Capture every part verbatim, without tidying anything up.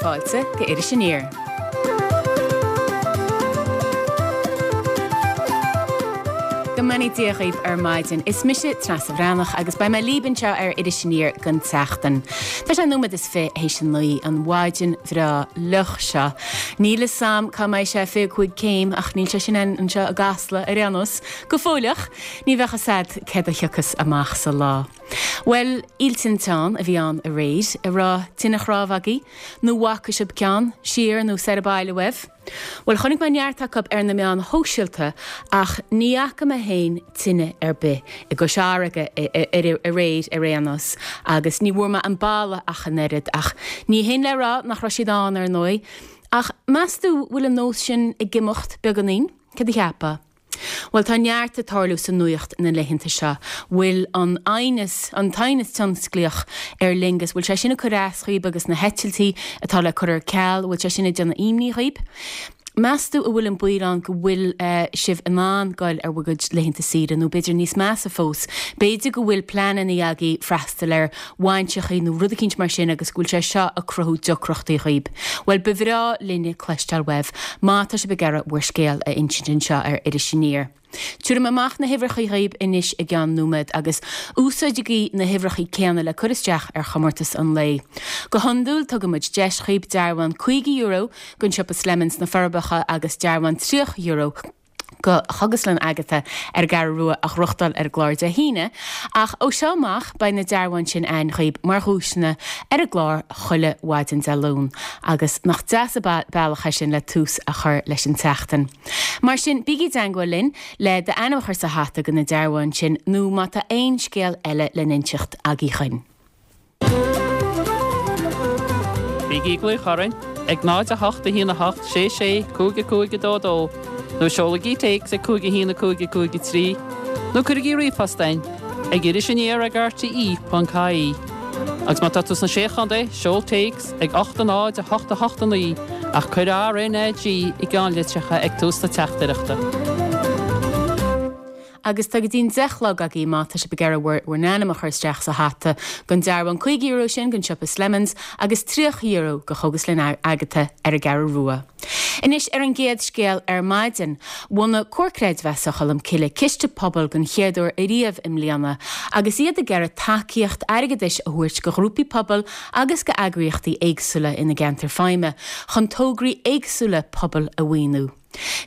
fáilte go Iris Aniar. Go mbeannaí Dia dhaoibh ar maidin. Is mise Treasa Bhreathnach agus beidh mé libh anseo ar Iris Aniar don tseachtain. Tá sé nóiméad is fiche théis a naoi an mhaidin bhreá fhliuch seo. Níl fhios a'm cá mbeidh sé fiche cúig céim ach níl sé sin ann anseo i gCasla ar aon nós. Go fóilleach, ní bheadh fhios a'd céard a thiocfas amach sa lá. Bhuel, Oíche Tinteán a bhí ann aréir, an raibh tine chnámh agaibh, nó bhfaca sibh ceann, siar nó soir abhaile uaibh? Bhuel, chonaic mé neart acu ar na meáin shóisialta ach ní fhaca mé féin tine ar bith i gCois Fharraige aréir ar aon nós agus ní bhfuair mé an boladh ach an oiread ach ní hin le rá nach raibh siad ann ar ndóigh. Ach meas tú bhfuil an nós sin ag imeacht beagáinín? Cad a cheapfá? Bhuel, tá neart ag tarlú sa nuaíocht na laethanta seo. Bhfuil an aighneas, an t-aighneas tionsclaíoch Aer Lingus, bhfuil sé sin ag cur as dhaoib agus na heitiltí atá le cur ar ceal, bhfuil sé sin ag déanamh imní dhaoib? Meas tú a bhfuil an baol ann go bhfuil sibh in ann goil ar bhur gcuid laethanta saoire nó b'fhéidir níos measa fós, b'fhéidir go bhfuil pleananna agaibh freastal ar bhainseachaí nó rud eicínt mar sin agus go bhfuil sé seo ag cruthú deacrachtaí dhaoib. Bhuel, ba bhreá linne cloisteáil uaibh má tá sibh ag iarraidh bhur scéal a insint anseo ar Iris Aniar. Tabharfaidh mé amach na huimhreacha dhaoib anois i gceann nóiméad agus úsáidigí na huimhreacha céanna le cur isteach ar chomórtas an lae. Go hiondúil tugann muid deis dhaoib dearbhán caoga euro don siopa Slemon sna Forbacha agus dearbhán tríocha euro go Chógaslann Agatha ar an gCeathrú Rua a ghnóthachtáil ar an gclár Dé hAoine, ach ó seo amach beidh na dearbháin sin ann dhaoib mar dhuaiseanna ar an gclár chuile mhaidin Dé Luain, agus nach deas an bealach é sin le tús a chur leis an tseachtain. Mar sin, bígí i dteangmháil linn le d'ainm a chur sa hata do na dearbháin sin nó má tá aon scéal eile le n-inseacht agaibh chugainn. Bígí ag glaoch orainn ag náid a hocht a haon a hocht sé sé cúig a cúig a dó dó nó seolaigí téacs ag cúig a haon a cúig a cúig a trí nó cuirigí ríomhphost chugainn ag iris aniar ag R T E ponc I E. Agus má tá tú sna Sé Chontae, seol téacs ag ocht a náid a hocht a hocht a naoi ach cuir R N A G i gceannlitreacha ag tús na teachtaireachta. Agus tá go dtí'n deich a chlog agaibh má tá sibh ag iarraidh bhur bhur n-ainm a chur isteach sa hata don dearbhán caoga euro sin don siopa Slemons agus tríocha euro go Chógaslann Agatha ar an gCeathrú Rua. Anois ar an gcéad scéal ar maidin, bhunaigh Comhar Creidmheasa Cholm Cille ciste pobail den chéad uair ariamh i mbliana agus iad ag iarraidh tacaíocht airgeadais a thabhairt go ghrúpaí pobail agus go eagraíochtaí éagsúla ina gceantar feidhme chun tograí éagsúla pobail a mhaoiniú.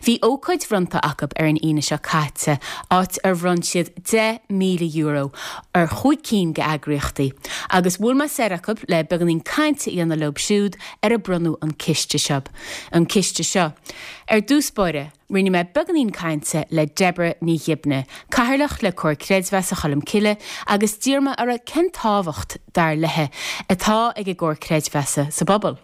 Bhí ócáid bhronnta acu ar an Aoine seo caite, áit ar bhronn siad deich míle euro ar chúig cinn d'eagraíochtaí, agus bhuail mé soir acu le beagáinín cainte a dhéanamh leo siúd ar a bronnadh an ciste seo. An ciste seo. Ar dtús báire, rinne mé beagáinín cainte le Deborah Ní Ghibne, Cathaoirleach le Comhar Creidmheasa Cholm Cille, agus d'iarr mé uirthi cén tábhacht, dar léi, atá ag an gComhar Creidmheasa sa bpobal.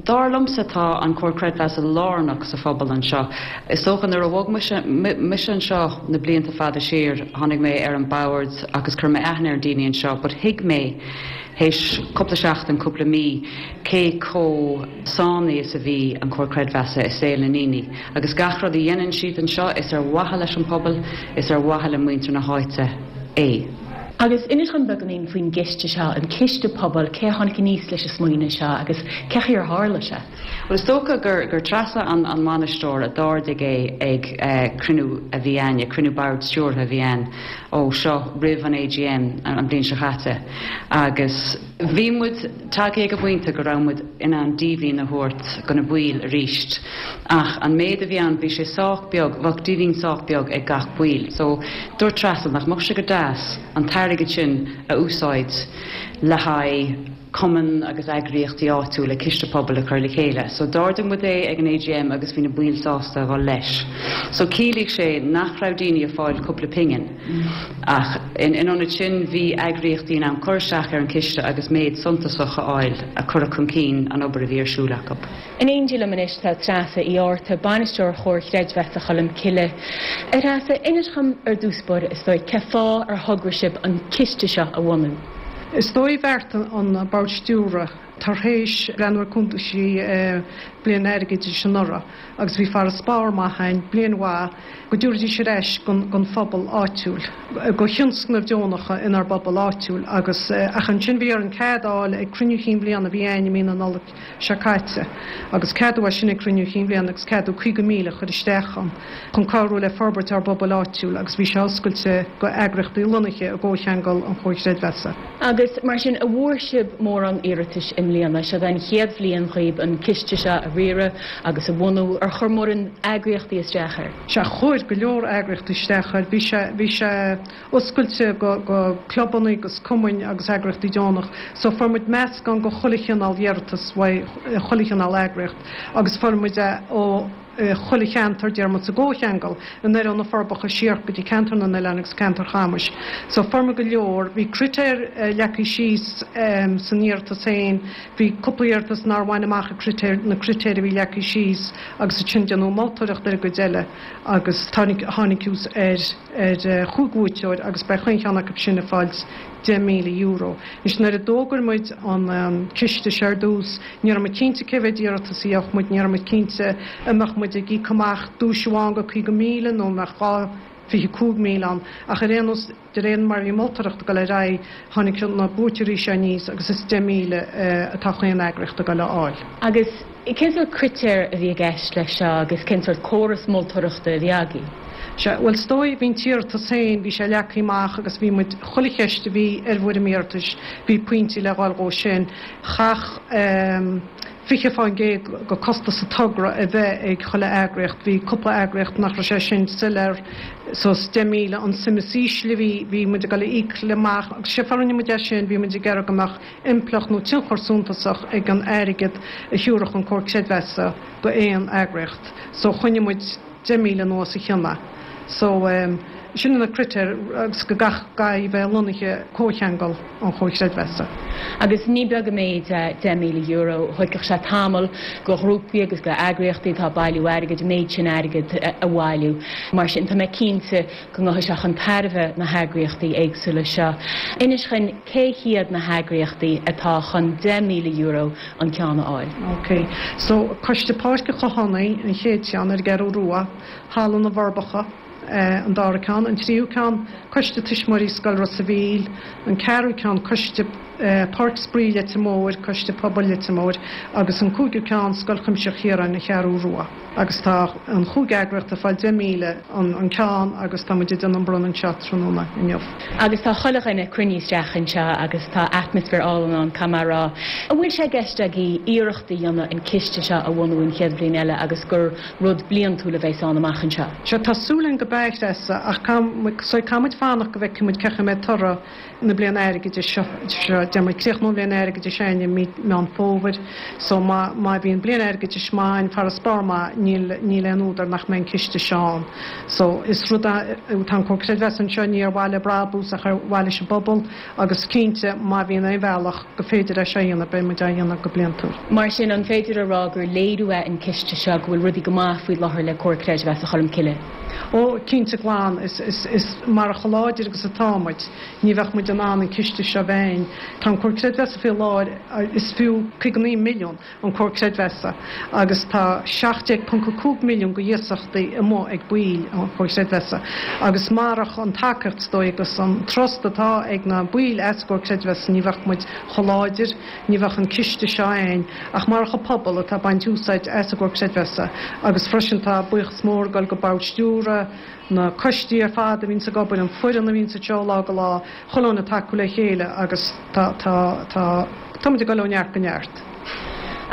Dar liomsa tá an Comhar Creidmheasa lárnach sa phobal anseo. Is dócha nuair a bhog mise anseo na blianta fada siar, tháinig mé ar an bord agus chuir mé aithne ar daoine anseo, but thuig mé théis cúpla seachtain cúpla mí cé chomh sáinnithe is a bhí an Comhar Creidmheasa i saol na ndaoine. Agus gach rud a dhéanann siad anseo is ar mhaithe leis an pobal, is ar mhaithe le muintir na háite é. Agus inis dom beagáinín faoin gciste seo, an ciste pobail, cé a tháinig aníos leis an smaoineamh seo agus cén chaoi ar tharla sé. Well is dócha gur gur Treasa an an mbainisteoir a d'ardaigh é ag uh, cruinniú a bhí ann, cruinniú boird stiúrtha a bhí ann ó seo roimh an A G M an bhliain seo chaite. Agus bhí muid tagtha ag an bpointe go raibh muid in ann díbhinn a thabhairt do na baill arís. Ach an méid a bhí ann bhí sé sách beag, bheadh díbhinn sách beag ag gach ball. So dúirt Treasa nach mbeadh sé go deas an t-airgead sin a úsáid le haghaidh cumann agus eagraíochtaí áitiúla ciste pobail a chur le chéile. So d'ardaigh muid é ag an A G M agus bhí na baill sásta dhul leis. So chiallaigh sé nach raibh daoine ag fáil cúpla pingin. Ach in in ionad sin bhí eagraíochtaí in ann cur isteach ar an ciste agus méid suntasach a fháil a chur chun cinn an obair a bhí ar siúl acu. In éindí liom anois tá Treasa Uí Fhátharta, bainisteoir Chomhar Creidmheasa Cholm Cille. A Threasa, inis dom ar dtús báire is dóigh cén fáth ar thograigh sibh an ciste seo a bhunú. Is dóigh bheart an bord stiúrtha tar éis breathnú ar cuntaisí bliain airgeadais anuraidh agus bhí farasbarr maith ann, bliain mhaith, go dtabharfaidís ar ais don phobal áitiúil, go thionscnaimh deonacha inár bpobal áitiúil agus ach ansin bhí orainn cead a fháil ag cruinniú chinn bhliana a bhí ann i mí na Nollag seo caite agus ceadú é sin ag cruinniú chinn bhliana agus ceadú caoga míle a chur isteach ann chun cabhrú le forbairt ár bpobail áitiúil agus bhí sé oscailte go eagraíochtaí lonnaithe i gcomhcheangal an Chomhar Creidmheasa. Agus mar sin, an bhfuair sibh mórán iarratais i mbliana? Seo an chéad bhliain dhaoib an ciste seo a riaradh agus a bhunú. Ar chuir mórán eagraíochtaí isteach air? Sea, chuir go leor eagraíochtaí isteach air. Bhí sé, bhí sé oscailte go, go clubanna agus cumainn agus eagraíochtaí deonach. So fuair muid meascán go chuile chineál iarratas uaidh chuile chineál eagraíocht agus fuair muid é ó chuile cheantar, deir muid sa gcomhcheangal, anoir ó na Forbacha siar go dtí ceantar na nOileán agus ceantar Chamais. So fuair muid go leor. Bhí critéir leagtha síos san iarratas féin. Bhí cúpla iarratas nár bhain amach a critéir, na critéir a bhí leagtha síos agus ansin déanadh moltóireacht ar an gcuid eile agus tháinig, tháinig thuas ar, ar chúig bhuaiteoir agus beidh chaon cheann acu sin ag fáilt deich míle euro. Anois nuair a d'fhógair muid an ciste seo ar dtús, ní raibh muid cinnte cé mhéad iarratas a gheobhadh muid, ní raibh muid cinnte an mbeadh muid ag íoc amach duais amháin go caoga míle nó an mbeadh dhá fiche cúig míle ann ach ar aon nós, de réir mar a bhí moltóireacht ag dul ar aghaidh, tháinig na buaiteoirí seo aníos agus is deich míle atá chaon eagraíocht ag dul a fháil. Agus cén sórt critéir a bhí i gceist leis seo agus cén sórt córas moltóireachta a bhí agaibh? Sea, bhuel is dóigh, bhí an t-iarratas féin, bhí sé leagtha amach agus bhí muid, chuile cheist a bhí ar bhfoirm iarratais, bhí pointí le dhul dhó sin. Chaithfeadh fiche fán gcéad go costas an togra a bheith ag chuile eagraíocht. Bhí cúpla eagraíocht nach raibh sé sin soiléir so is deich míle an suim is ísle a bhí, bhí muid ag dul a íoc le amach agus sé fáth a rinne muid é sin, bhí muid ag iarraidh go mbeadh impleacht nó tionchar suntasach ag an airgead a thiúrfadh an Comhar Creidmheasa go aon eagraíocht. So choinnigh muid deich míle anuas a chionn. So sin na critéir agus go gcaithfidh a bheith lonnaithe comhcheangal an Chomhar Creidmheasa. Agus ní beag an méid é deich míle euro. Thógfadh sé tamall go ghrúpaí agus go eagraíochtaí atá ag bailiú airgid an méid sin airgid a bhailiú. Mar sin tá mé cinnte go ngabhfaidh sé chun tairbhe na heagraíochtaí éagsúla seo. Inis dhúinn cé hiad na heagraíochtaí atá chun deich míle euro an ceann a fháil. Ok. So Coiste Páirce Chathánaigh an chéad cheann ar an gCeathrú Rua, Halla na bhForbacha, an dara ceann, an tríú ceann, Coiste Tuismitheoirí Scoil Ros a' Mhíl, an ceathrú ceann, Coiste Páirc Spraoi Leitir Móir, Coiste Pobail Leitir Móir, agus an cúigiú ceann, Scoil Chuimsitheach Chiaráin, an Cheathrú Rua. Agus tá an chúig eagraíocht ag fáil deich míle an ceann agus tá muid ag déanamh an bronnadh anseo tráthnóna inniu. Agus tá chuile dhuine cruinnithe isteach anseo agus tá atmaisféar álainn ann, caithfidh mé a rá. An bhfuil sé i gceist agaibh iarracht a dhéanamh an ciste seo a bhunú an chéad bhliain eile agus gur rud bliantúil a bheas ann amach anseo? Sea, tá súil againn go beidh, a Threasa, ach caithfidh muid fanacht go bhfeicfidh muid cén chaoi a mbeidh toradh na bliana airgeadais seo, deir muid, críochnóidh an bhliain airgeadais againn i mí Meán Fómhair, so má, má bhíonn bliain airgeadais maith ann, farasbarr maith, níl, níl aon údar nach mbeidh an ciste seo ann. So is rud é, tá an Comhar Creidmheasa anseo ní ar mhaithe le brabús ach ar mhaithe leis an bpobal agus cinnte má bhíonn aon bhealach go féidir é seo a dhéanamh, beidh muid á dhéanamh go bliantúil. Mar sin, an féidir a rá gur léiriú é an ciste seo go bhfuil rudaí go maith faoi láthair le Comhar Creidmheasa Cholmcille? Ó, cinnte glan, is, is, is marach chomh láidir agus atá muid, ní bheadh muid in ann an ciste seo a bheith ann. Tá an Comhar Creidmheasa faoi láthair, is fiú caoga naoi milliún an Comhar Creidmheasa agus tá seacht déag ponc a cúig milliún go iasachtaí amuigh ag baill an Chomhar Creidmheasa agus marach an tacaíocht is dóigh agus an trust atá ag na baill as an gComhar Creidmheasa ní bheadh muid chomh láidir, ní bheadh an ciste seo ann ach marach an pobal atá ag baint úsáid as an gComhar Creidmheasa agus freisin tá buíochas mór ag dul go bord stiúrtha, na coistí ar fad a bhíonns ag obair, an foireann a bhíonns anseo ó lá go lá, chuile dhuine ag tacú le chéile agus tá, tá, tá, tá muid ag dul ó neart go neart.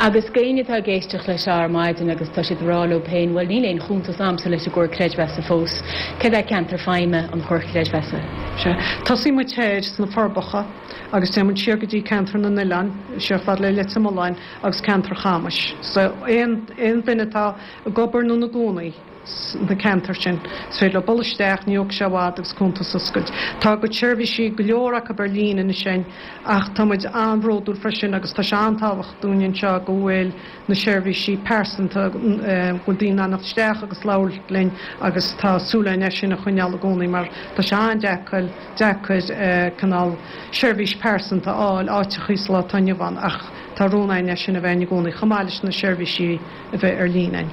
Agus d'éinne atá ag éisteacht leis seo ar maidin agus tá siad ag rá leo féin, bhuel níl aon chuntas a'msa leis an gComhar Creidmheasa fós, céard é ceantar feidhme an Chomhair Chreidmheasa? Sea, tosaíonn muid thoir sna Forbacha agus téann muid siar go dtí ceantar na nOileán, siar fad le Leitir Mealláin agus ceantar Chamais. So aon, aon duine atá ag obair nó ina gcónaí sna ceantair sin, is féidir leo dul isteach, ní thógfaidh sé i bhfad agus cuntas a oscailt. Tá a gcuid seirbhísí, go leor acu ar líne anois againn ach tá muid an-bhródúil freisin agus tá sé an-tábhachtach dúinn anseo go bhfuil na seirbhísí pearsanta, go bhfuil daoine in ann theacht isteach agus labhairt linn agus tá súil againn é sin a choinneáil i gcónaí mar tá sé an-deacair, deacair cineál seirbhís pearsanta a fháil áiteachaí sa lá atá inniu ann ach tá Tá rún againn é sin a bheith i gcónaí chomh maith leis na seirbhísí a bheith ar líne againn.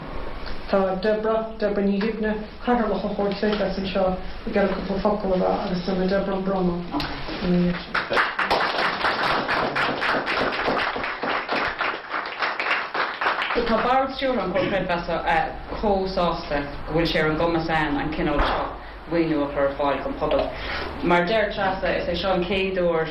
Tá Deborah, Deborah Ní Dhuibhne, Cathaoirleach an Chomhair Creidmheasa anseo ag iarraidh cúpla focal a rá agus déanfaidh Deborah an bronnadh ina dhiaidh sin. Tá Bord Stiúrtha an Chomhair Creidmheasa chomh sásta go bhfuil sé ar an gcumas againn an cineál seo maoiniú a chur ar fáil don phobal. Mar deir Treasa, is é seo an chéad uair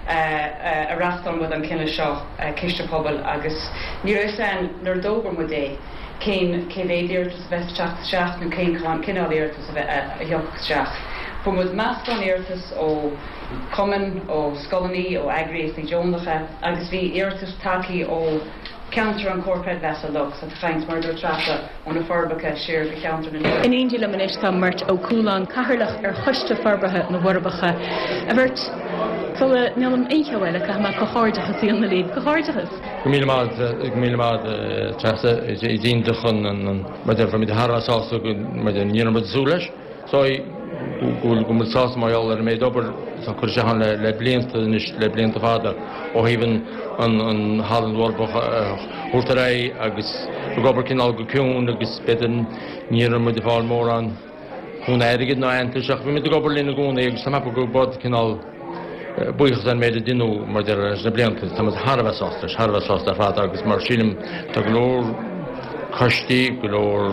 a reáchtáil muid an cineál seo ciste pobail agus ní raibh fhios againn nuair a d'fhógair muid é cén cé mhéad iarratas a bheas ag teacht isteach nó cén cineál iarratas a bheith a thiocfadh isteach. Fuair muid meascán iarratas ó chumainn, ó scoileanna, ó eagraíochtaí deonacha agus bhí iarratas tagtha ó cheantar an Chomhair Creidmheasa uilig, so tá caint mar a dúirt Treasa ó na Forbacha siar go cheantar na In éindí liom anois tá Murt Ó Cualáin, Cathaoirleach ar Choiste Forbartha na bhForbacha. A Mhurt, sula ndéanaim aon cheo eile, caithfidh mé comhghairdeachas a dhéanamh libh. Comhghairdeachas! Go míle maith, go míle maith Treasa. Is iontach an, mar a déarfá, muid thar a bheith sásta go, mar a déarfá, ní raibh muid ag súil leis. So, go bhfuil muid sásta mar gheall ar an méid obair atá curtha isteach ann le blianta anois, le blianta fada, ó thaobh an Halla na bhForbacha a thabhairt ar aghaidh agus ag obair cineál go ciúin agus b'fhéidir ní raibh muid ag fáil mórán cúnamh airgid ná aitheantais ach bhí muid ag obair linn i gcónaí agus tá mé ag ceapadh go bhfuil cineál buíochas ar an méid a deineadh mar a déarfá leis na blianta. Tá muid thar a bheith sásta leis, thar a bheith sásta ar fad agus mar sílim tá go leor coistí, go leor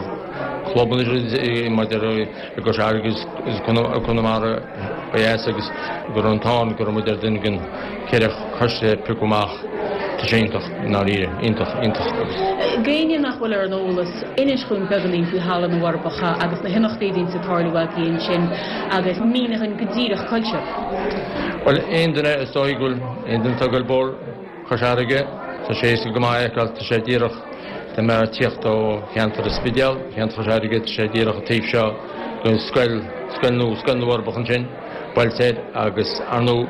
clubanna mar a déarfá i gCois Fharraige agus Conamara ó dheas agus go raibh an t-ádh orainn go raibh muid ar duine den ceithre choiste a piocadh amach. Tá sé iontach, i ndáiríre, iontach, iontach agus. D'éinne nach bhfuil ar an eolas, inis dhúinn beagáinín faoi Halla na bhForbacha agus na himeachtaí a bhíonns ag tarlú agaibh ansin agus mínigh dhúinn go díreach cá bhfuil sibh. Bhuel, aon duine, is dóigh go bhfuil aon duine atá ag goil bóthar Chois Fharraige, tá sé éasca go maith a fheiceáil, tá sé díreach, dá mbeifeá ag tíocht ó cheantar an Spidéil, ceantar Chois Fharraige, tá sé díreach an taobh seo den scoil, scoil nua, Scoil na bhForbacha ansin, buailte air agus, ar ndóigh,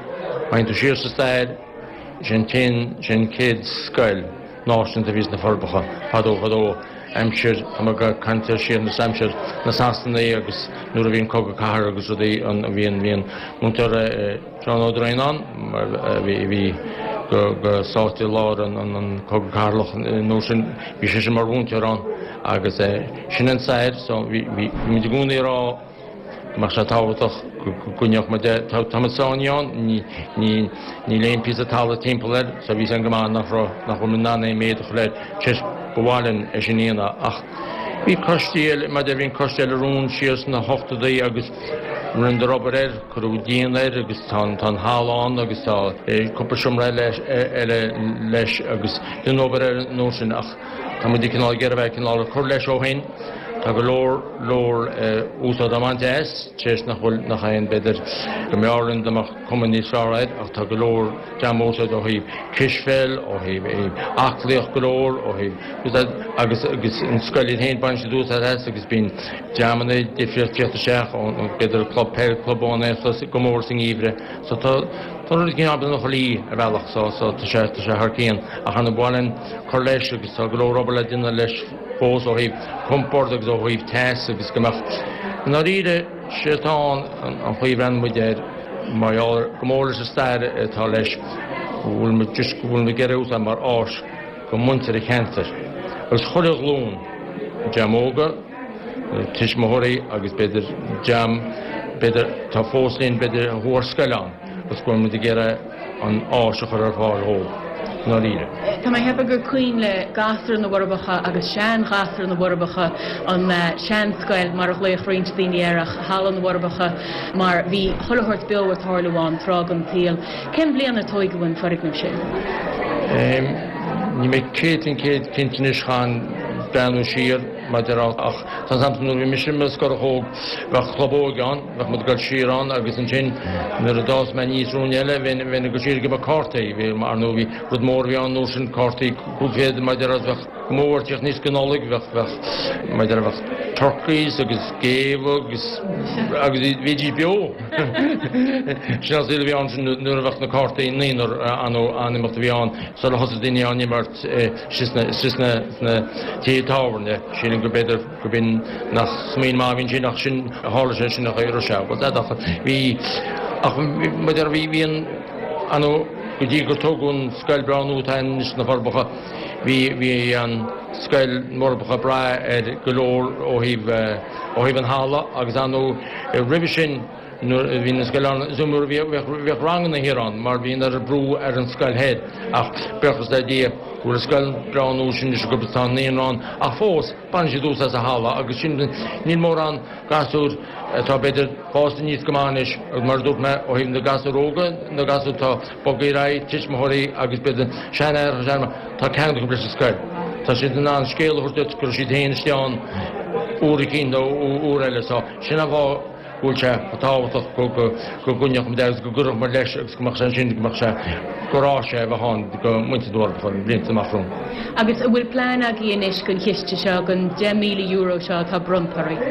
má théann tú siar sa stair, Sé an t-aon, sé an chéad scoil náisiúnta a bhí sna Forbacha fadó fadó, aimsir, tá mé ag caint ar siar san aimsir na Sasanaigh agus nuair a bhí an cogadh cathartha agus rudaí an, bhí an, bhí an múinteoir Seán Ó Droighneáin mar a bhí, a bhí go, go sáite i lár an, an, an cogadh cathartha an uair sin, bhí seisean mar mhúinteoir ann agus sin an stair so bhí, bhí, bhí muid i gcónaí ag rá, go mbeadh sé tábhachtach go gcoinneodh muid é. Tá muid sáinnithe ann, níl aon phíosa talaimh timpeall air, so bhí a fhios againn go maith nach raibh, nach bhfuil muid in ann aon méid a chur air, tar éis ba mhaith linn é sin a dhéanamh ach bhí coistí eile, mar bhí an coiste eile romhainn siar sna hochtóidí agus rinneadar obair air, cuireadh díon air agus tá an, tá an halla ann agus tá cúpla seomra eile, eile leis agus deineadh obair air an uair sin ach tá muid ag cineál ag iarraidh a bheith cineál ag cur leis ó shin. Tá go leor, leor úsáid á mbaint as, tar éis nach bhfuil, nach aon, b'fhéidir go mb'fhearr linn dá mbeadh cuma níos fearr air ach tá go leor dream á úsáid ó thaobh cispheil, ó thaobh aclaíocht go leor, ó thaobh, agus, agus an scoil iad féin baineann siad úsáid as agus bíonn dreamanna difríocht ag tíocht isteach ón, b'fhéidir club peil, club ón Aontas go mór sa ngeimhreadh. So tá, tá rud éigin ina luí ar bhealach so, so tá sé, tá sé thar cionn ach ar ndóigh ba mhaith linn cur leis agus tá go leor obair le déanamh leis fós ó thaobh compord agus ó thaobh teas agus go mbeadh, i ndáiríre, sé atá ann an chaoi a mbreathnaíonn muid air mar gheall ar go mór leis an stair atá leis, go bhfuil muid just go bhfuil muid ag iarraidh é a úsáid mar áis do mhuintir an cheantair agus chuile ghlúin, dream óga, tuismitheoirí agus b'fhéidir dream b'fhéidir atá fós linn b'fhéidir a chuaigh ar scoil ann agus go bhfuil muid ag iarraidh an áis a chur ar fáil dhóibh, i ndáiríre. Tá mé ag ceapadh gur cuimhin le gasúir na bhForbacha agus sean-ghasúir na bhForbacha an seanscoil mar a ghlaodh roinnt daoine air ach Halla na bhForbacha mar bhí chuile shórt beo ag tarlú ann tráth den tsaol. Cén bhliain ar tóigeadh an foirgneamh sin? Níl mé céad faoin gcéad cinnte anois, chaithfinn breathnú siar maidir ach tá a fhios a'msa nuair a bhí mise i mo scorach óg bheadh club óige ann, Bheadh muid ag dul siar ann agus ansin nuair a d'fhás mé aníos ruainne eile bheinn bheinn ag dul siar ag imirt cártaí. Bhí ar ndóigh bhí rud mór a bhí ann an uair sin cártaí cúig fichead mar a déarfá bheadh go mór ag tíocht aníos go Nollaig bheadh bheadh mar a déarfá bheadh turkeys agus géabha agus agus bhídís beo. Sin an saol a bhí ann sin nuair a bheadh na cártaí naonúr an-imeacht a bhí ann sular thosaigh daoine á n-imirt istigh sna istigh sna sna tithe tábhairne. Sílim go b'fhéidir go b'in nach smaoineamh maith a bhí ansin ach sin a tharla sé sin a chaoi a raibh sé. Bhuel ach bhí ach mar a déarfá bhí bhí an an Go dtí gur tógadh an scoil breá nua atá anois sna Forbacha, bhí bhí an scoil Forbacha ag brath ar go leor ó thaobh ó thaobh an halla agus ar ndóigh roimhe sin nuair a bhí na scoil ann is nuair a bhíodh bhíodh ranganna thiar ann mar bhí an oiread brú ar an scoil thoir ach buíochas le Dia go bhfuil an scoil breá nua sin anois acu tá an naíonra ann ach fós baineann siad úsáid as an halla agus sin níl mórán gasúr atá b'fhéidir fásta aníos go maith anois agus mar a dúirt mé ó thaobh na gasúr óga na gasúr atá bogtha ar aghaidh tuismitheoirí agus b'fhéidir seanaithreacha seanmháthair tá ceangal acu leis an scoil. Tá siad in ann scéal a thabhairt duit go raibh siad féin istigh ann uair eicínt nó uair eile so sin an fáth go bhfuil sé tábhachtach go go go gcoinneodh muid agus go gcuirfeadh muid leis agus go mbeadh sé ansin go mbeadh sé go raibh sé a bheith ann do mhuintir na bhForbacha na blianta amach romhainn. Agus an bhfuil plean agaibh anois don chiste seo, don deich míle euro seo atá bronnta oraibh?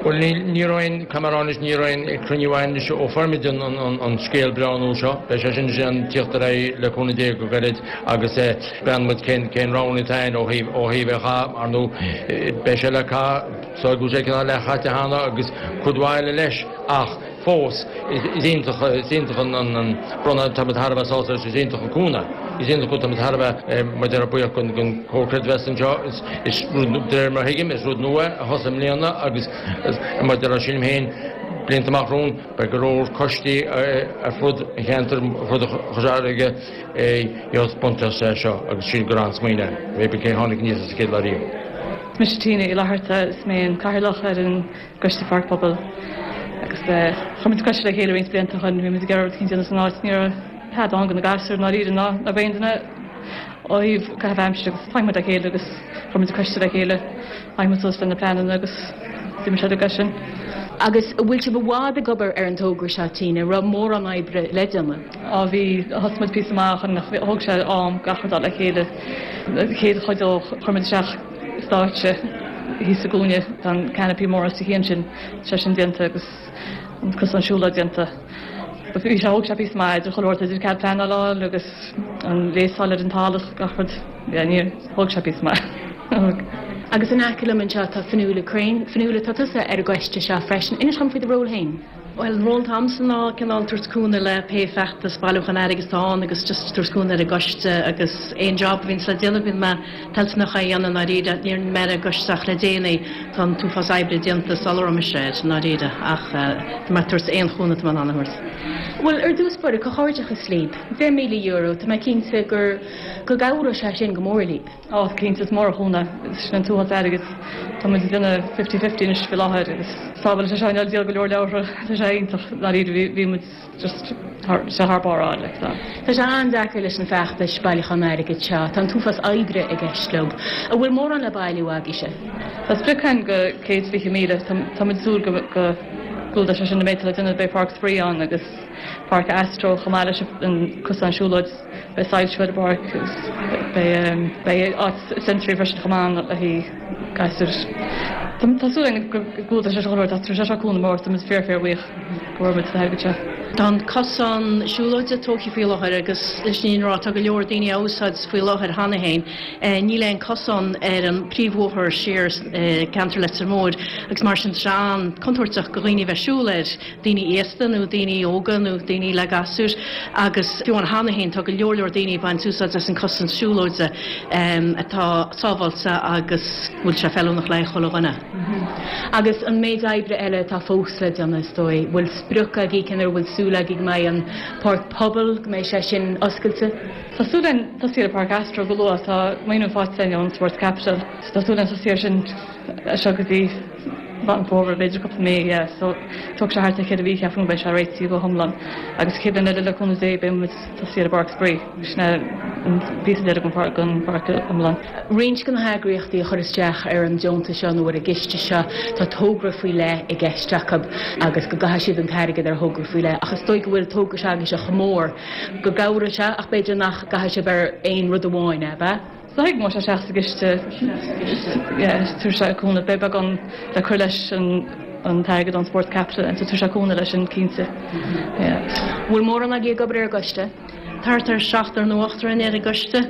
Bhuel níl, ní raibh aon, caithfidh mé a rá anois, ní raibh aon cruinniú againn anois ó fuair muid an an an scéal breá nua seo. Beidh sé sin ag tíocht ar aghaidh le cúnamh Dé go gairid agus breathnóidh muid cén cén roghanna atá againn ó thaobh ó thaobh é a chaitheamh. Ar ndóigh beidh sé le caitheamh. So go bhfuil sé cineál leathchaite cheana agus cuid mhaith eile leis ach fós is iontach is iontach an an bronnadh tá muid thar a bheith sásta leis is iontach an cúnamh is iontach tá muid thar a bheith mar a déarfá buíoch den den Comhar Creidmheasa anseo is is rud de réir mar a thuigim is rud nua a thosaigh i mbliana agus mar a déarfá sílim féin blianta amach romhainn beidh go leor coistí ar fud an cheantair ar fud Chois Fharraige a buntáiste é seo agus sílim gur an-smaoineamh é cé tháinig aníos as an chéad lá riamh. Is mise Tina Uí Fhlatharta, is mé an cathaoirleach ar an gCoiste Pháirc Pobail agus chuir muid coiste le chéile roinnt blianta ó shin, bhí muid ag iarraidh rud eicínt a dhéanamh san áit, ní raibh tada ann do na gasúir i ndáiríre ná ná aon duine ó thaobh caitheamh aimsire agus tháinig muid le chéile agus chuir muid coiste le chéile, tháinig muid suas le na pleananna agus d'imigh sé uilig as sin. Agus an bhfuil sibh i bhfad ag obair ar an togra seo, Tina, an raibh mórán oibre le déanamh? Á bhí, thosaigh muid píosa maith ó shin ach thóg sé am gach rud a fháil le chéile. An chéad chuid dó chuir muid isteach stáitse thíos sa gcúinne, tá an canopy mór os a chionn sin, tá sé sin déanta agus an cosán siúlóide déanta. Bhí sé, thóg sé píosa maith idir chuile shórt, idir cead pleanála a fháil agus an léasáil ar an talamh, gach rud, yeah, níor, thóg sé píosa maith. Thóg. Agus in aice liom anseo tá Fionnuala Crean. Fionnuala, tá tusa ar an gcoiste seo freisin. Inis dom faoi do ról féin. Bhuel, an ról atá a'msa ná cineál tabhairt cúnamh le pé feachtas bailiúchán airgid atá ann agus just tabhairt cúnamh ar an gcoiste agus aon job a bhíonns le déanamh bíonn mé toilteanach é a dhéanamh i ndáiríre. Ní raibh mé ar an gcoiste ach le déanaí, tá an t-uafás oibre déanta sula raibh mise air i ndáiríre ach tá mé ag tabhairt aon chúnamh atá mé in ann a thabhairt. Bhuel, ar dtús báire, comhghairdeachas libh. Deich míle euro, tá mé cinnte gur go gcabhróidh sé sin go mór libh. Ó, cinnte, is mór an cúnamh sin an t-uafás airgid. Tá muid ag déanamh fifty fifty anois faoi láthair agus sábháil sé seo ag díol go leor leabhartha. Tá sé iontach dáiríre, bhí bhí muid just thar sé thar barr a fháil like so. Tá sé an-deacair leis na feachtais bailiúchán airgid seo. Tá an t-uafás oibre i gceist leo. An bhfuil mórán le bailiú agaibhse? Tá sprioc againn go céad fiche míle. Tá tá muid ag súil go go gclúdóidh sé sin an méid atá le déanamh. Beidh Páirc Spraoi ann agus Páirc Astro chomh maith leis an cosán siúlóid. Beidh soilsiú ar an bpáirc agus beidh beidh áit sensory freisin chomh maith le haghaidh gasúir. Tá súil againn go gclúdóidh sé seo go leor, tá sé seo cúnamh mór, tá muid fíor fíor bhuíoch go bhfuair muid an t-airgead seo. Tá an cosán siúlóide tógtha faoi láthair agus leis an fhírinne a rá tá go leor daoine á úsáid faoi láthair cheana féin. Níl aon cosán ar an príomhbhóthar siar ceantar Leitir Móir agus mar sin tá sé an-contúirteach do dhaoine a bheith ag siúl air. daoine aosta nó daoine óga nó daoine le gasúir agus fiú amháin cheana féin tá go leor leor daoine ag baint úsáid as an cosán siúlóide atá sábháilte agus go bhfuil sé feiliúnach le haghaidh chuile dhuine. Agus an méid oibre eile atá fós le déanamh is dóigh, bhfuil sprioc agaibh cén uair a bhfuil súil agaibh go mbeidh an páirc pobail, go mbeidh sé sin oscailte? Tá súil againn tosú ar Páirc Astro go luath, tá maoiniú faighte againn ón Sports Capital, so tá súil againn tosú air sin as seo go dtí Meán Fómhair, b'fhéidir cúpla mí, yeah, so tógfaidh sé thart ar cheithre mhí ceapaim go mbeidh sé réitithe go hiomlán agus chéad bhliain eile le cúnamh Dé beidh muid tosaí ar an bpáirc spraoi, sin é an píosa deiridh den pháirc den pháirc iomlán. Roinnt de na heagraíochtaí a chuir isteach ar an deontas seo nó ar an gciste seo, tá togra faoi leith i gceist acu agus go gcaithfidh siad an t-airgead ar thogra faoi leith ach is dóigh go bhfuil togra s'agaibhse chomh mór go gcabhróidh sé ach b'fhéidir nach gcaithfidh sibh ar aon rud amháin, ab ea? Is dóigh go mbeidh sé isteach sa gciste, yeah, tabharfaidh sé cúnamh, beidh beagán le cur leis an an t-airgead ón Sports Capital so tabharfaidh sé cúnamh leis sin cinnte, yeah. Bhfuil mórán agaibh ag obair ar an gcoiste? Thart ar seachtar nó ochtar ar an gcoiste.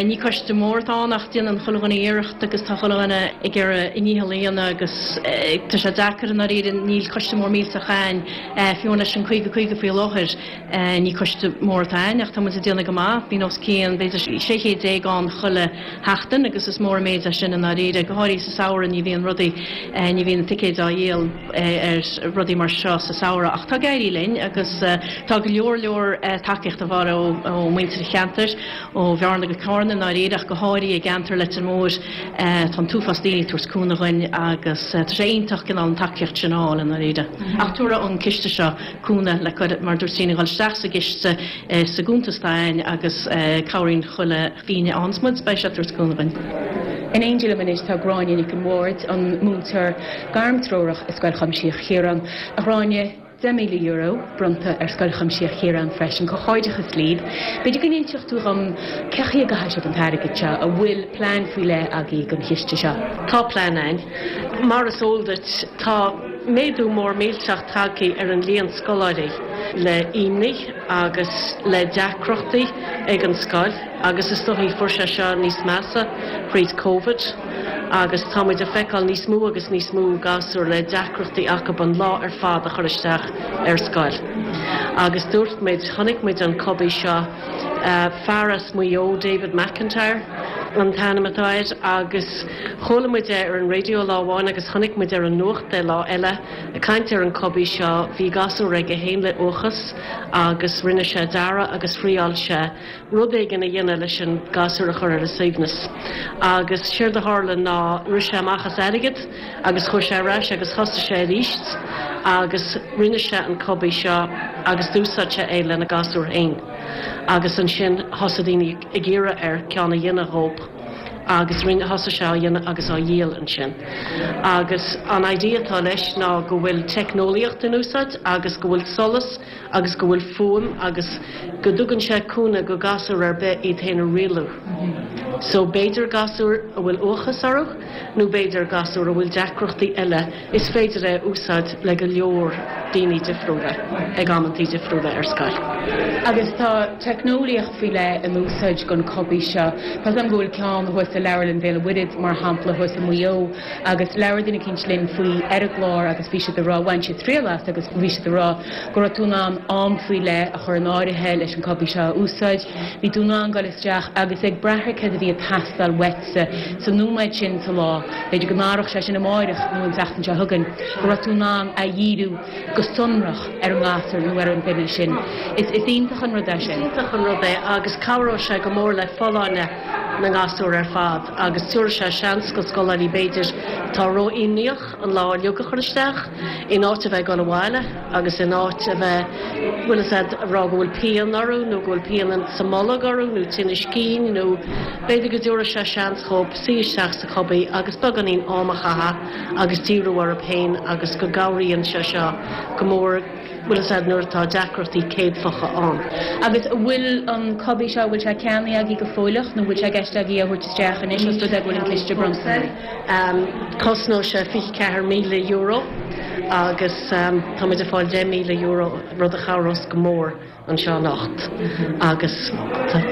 Ní coiste mór atá ann ach déanann chuile dhuine iarracht agus tá chuile dhuine ag iarraidh a ndícheall a dhéanamh agus tá sé deacair i ndáiríre, níl coiste mór millteach ann, fiú leis an caoga caoga faoi láthair ní coiste mór atá ann ach tá muid ag déanamh go maith, bíonn os cionn b'fhéidir sé chéad déag ann chuile sheachtain agus is mór an méid é sin i ndáiríre, go háirithe sa samhradh ní bhíonn rudaí, ní bhíonn ticéid á dhíol ar rudaí mar seo sa samhradh ach tá ag éirí linn agus tá go leor leor tacaíocht a bharr ó mhuintir an cheantair, ó Bhearna go Carna i ndáiríre ach go háirithe i gceantar Leitir Móir. Tá an t-uafás daoine ag tabhairt cúnamh dhuinn agus tá sé iontach cineál an tacaíocht sin a fháil i ndáiríre. Ach tabharfaidh an ciste seo cúnamh le cur, mar dúirt Tríona, dhul isteach sa gciste sa gcuntas atá ann agus cabhraíonn chuile phingin a fhaigheanns muid, beidh sé ag tabhairt cúnamh dhuinn. In éindí liom anois tá Gráinne Nic an Bhaird, an múinteoir gairmtreorach i Scoil Chuimsitheach Chiaráin. A Ghráinne, deich míle euro bronnta ar Scoil Chuimsitheach Chiaráin freisin. Comhghairdeachas libh. B'fhéidir go n-inseodh tú dhom cé chaoi a gcaithfidh sibh an t-airgead seo, an bhfuil plean faoi leith agaibh don chiste seo? Tá plean ann. Mar is eol duit, tá méadú mór millteach tagtha ar an líon scoláirí le imní agus le deacrachtaí ag an scoil agus is dóichí fuair sé seo níos measa thríd Covid agus tá muid ag feiceáil níos mó agus níos mó gasúr le deacrachtaí acu an lá ar fad a chur isteach ar scoil. Agus dúirt muid, chonaic muid an cuby seo, fear as Maigh Eo, David McIntyre an t-ainm atá air, agus chuala muid é ar an raidió lá amháin agus chonaic muid ar an nuacht é lá eile ag caint ar an cuby seo. Bhí gasúr aige féin le uathachas agus rinne sé dearadh agus thriáil sé rud éigin a dhéanamh leis an gasúr a chur ar a suaimhneas. Agus séard a tharla ná rith sé amach as airgead agus chuaigh sé ar ais agus thosaigh sé arís agus rinne sé an cuby seo agus d'úsáid sé é lena gasúr féin. Agus ansin thosaigh daoine ag iarraidh air ceann a dhéanamh dhób agus rinne thosaigh sé á dhéanamh agus á dhíol ansin. Agus an idea atá leis ná go bhfuil teicneolaíocht in úsáid agus go bhfuil solas agus go bhfuil fuaim agus go dtugann sé cúnamh go gasúr ar bith iad féin a rialú. So b'fhéidir gasúr a bhfuil uathachas orthu nó b'fhéidir gasúr a bhfuil deacrachtaí eile, is féidir é a úsáid le go leor daoine difriúla ag amantaí difriúla ar scoil. Agus tá teicneolaíocht faoi leith in úsáid don cuby seo. Tá am go bhfuil ceann thuas i Leabharlann Bhéal an Mhuirthead mar shampla thuas i Maigh Eo agus labhair duine eicínt linn faoi ar an gclár agus bhí siad ag rá bhain siad triail as agus bhí siad ag rá go raibh tú in ann am faoi leith a chur in áirithe leis an cuby seo a úsáid. Bhí tú in ann dul isteach agus ag brath ar céard a bhí ag teastáil uaitse sa nóiméad sin sa lá, b'fhéidir go n-athródh sé sin amárach nó an tseachtain seo chugainn, go raibh tú in ann a dhíriú go sonrach ar an ngasúr nó ar an duine sin. Is is iontach an rud é sin. Is iontach an rud é agus cabhróidh sé go mór le folláine na ngasúr ar fad agus tabharfaidh sé seans go scoláirí b'fhéidir atá ró-imníoch an lá uilig a chur isteach in áit a bheith ag dul abhaile agus in áit a bheith bhfuil a fhios a'd ag rá go bhfuil pian orthu nó go bhfuil pian sa mbolg orthu nó tinneas cinn nó b'fhéidir go dtabharfaidh sé seans dhób suí isteach sa chuby agus beagáinín am a chaitheamh agus díriú orthu féin agus go gcabhraíonn sé seo go mór bhfuil a fhios a'd nuair atá deacrachtaí céadfacha ann. Agus an bhfuil an cuby seo, bhfuil sé ceannaithe agaibh go fóilleach nó bhfuil sé i gceist agaibh a thabhairt isteach anois os rud é go bhfuil an ciste bronnta? Cosnóidh sé fiche ceathair míle euro agus tá muid ag fáil deich míle euro, rud a chabhrós go mór anseo anocht agus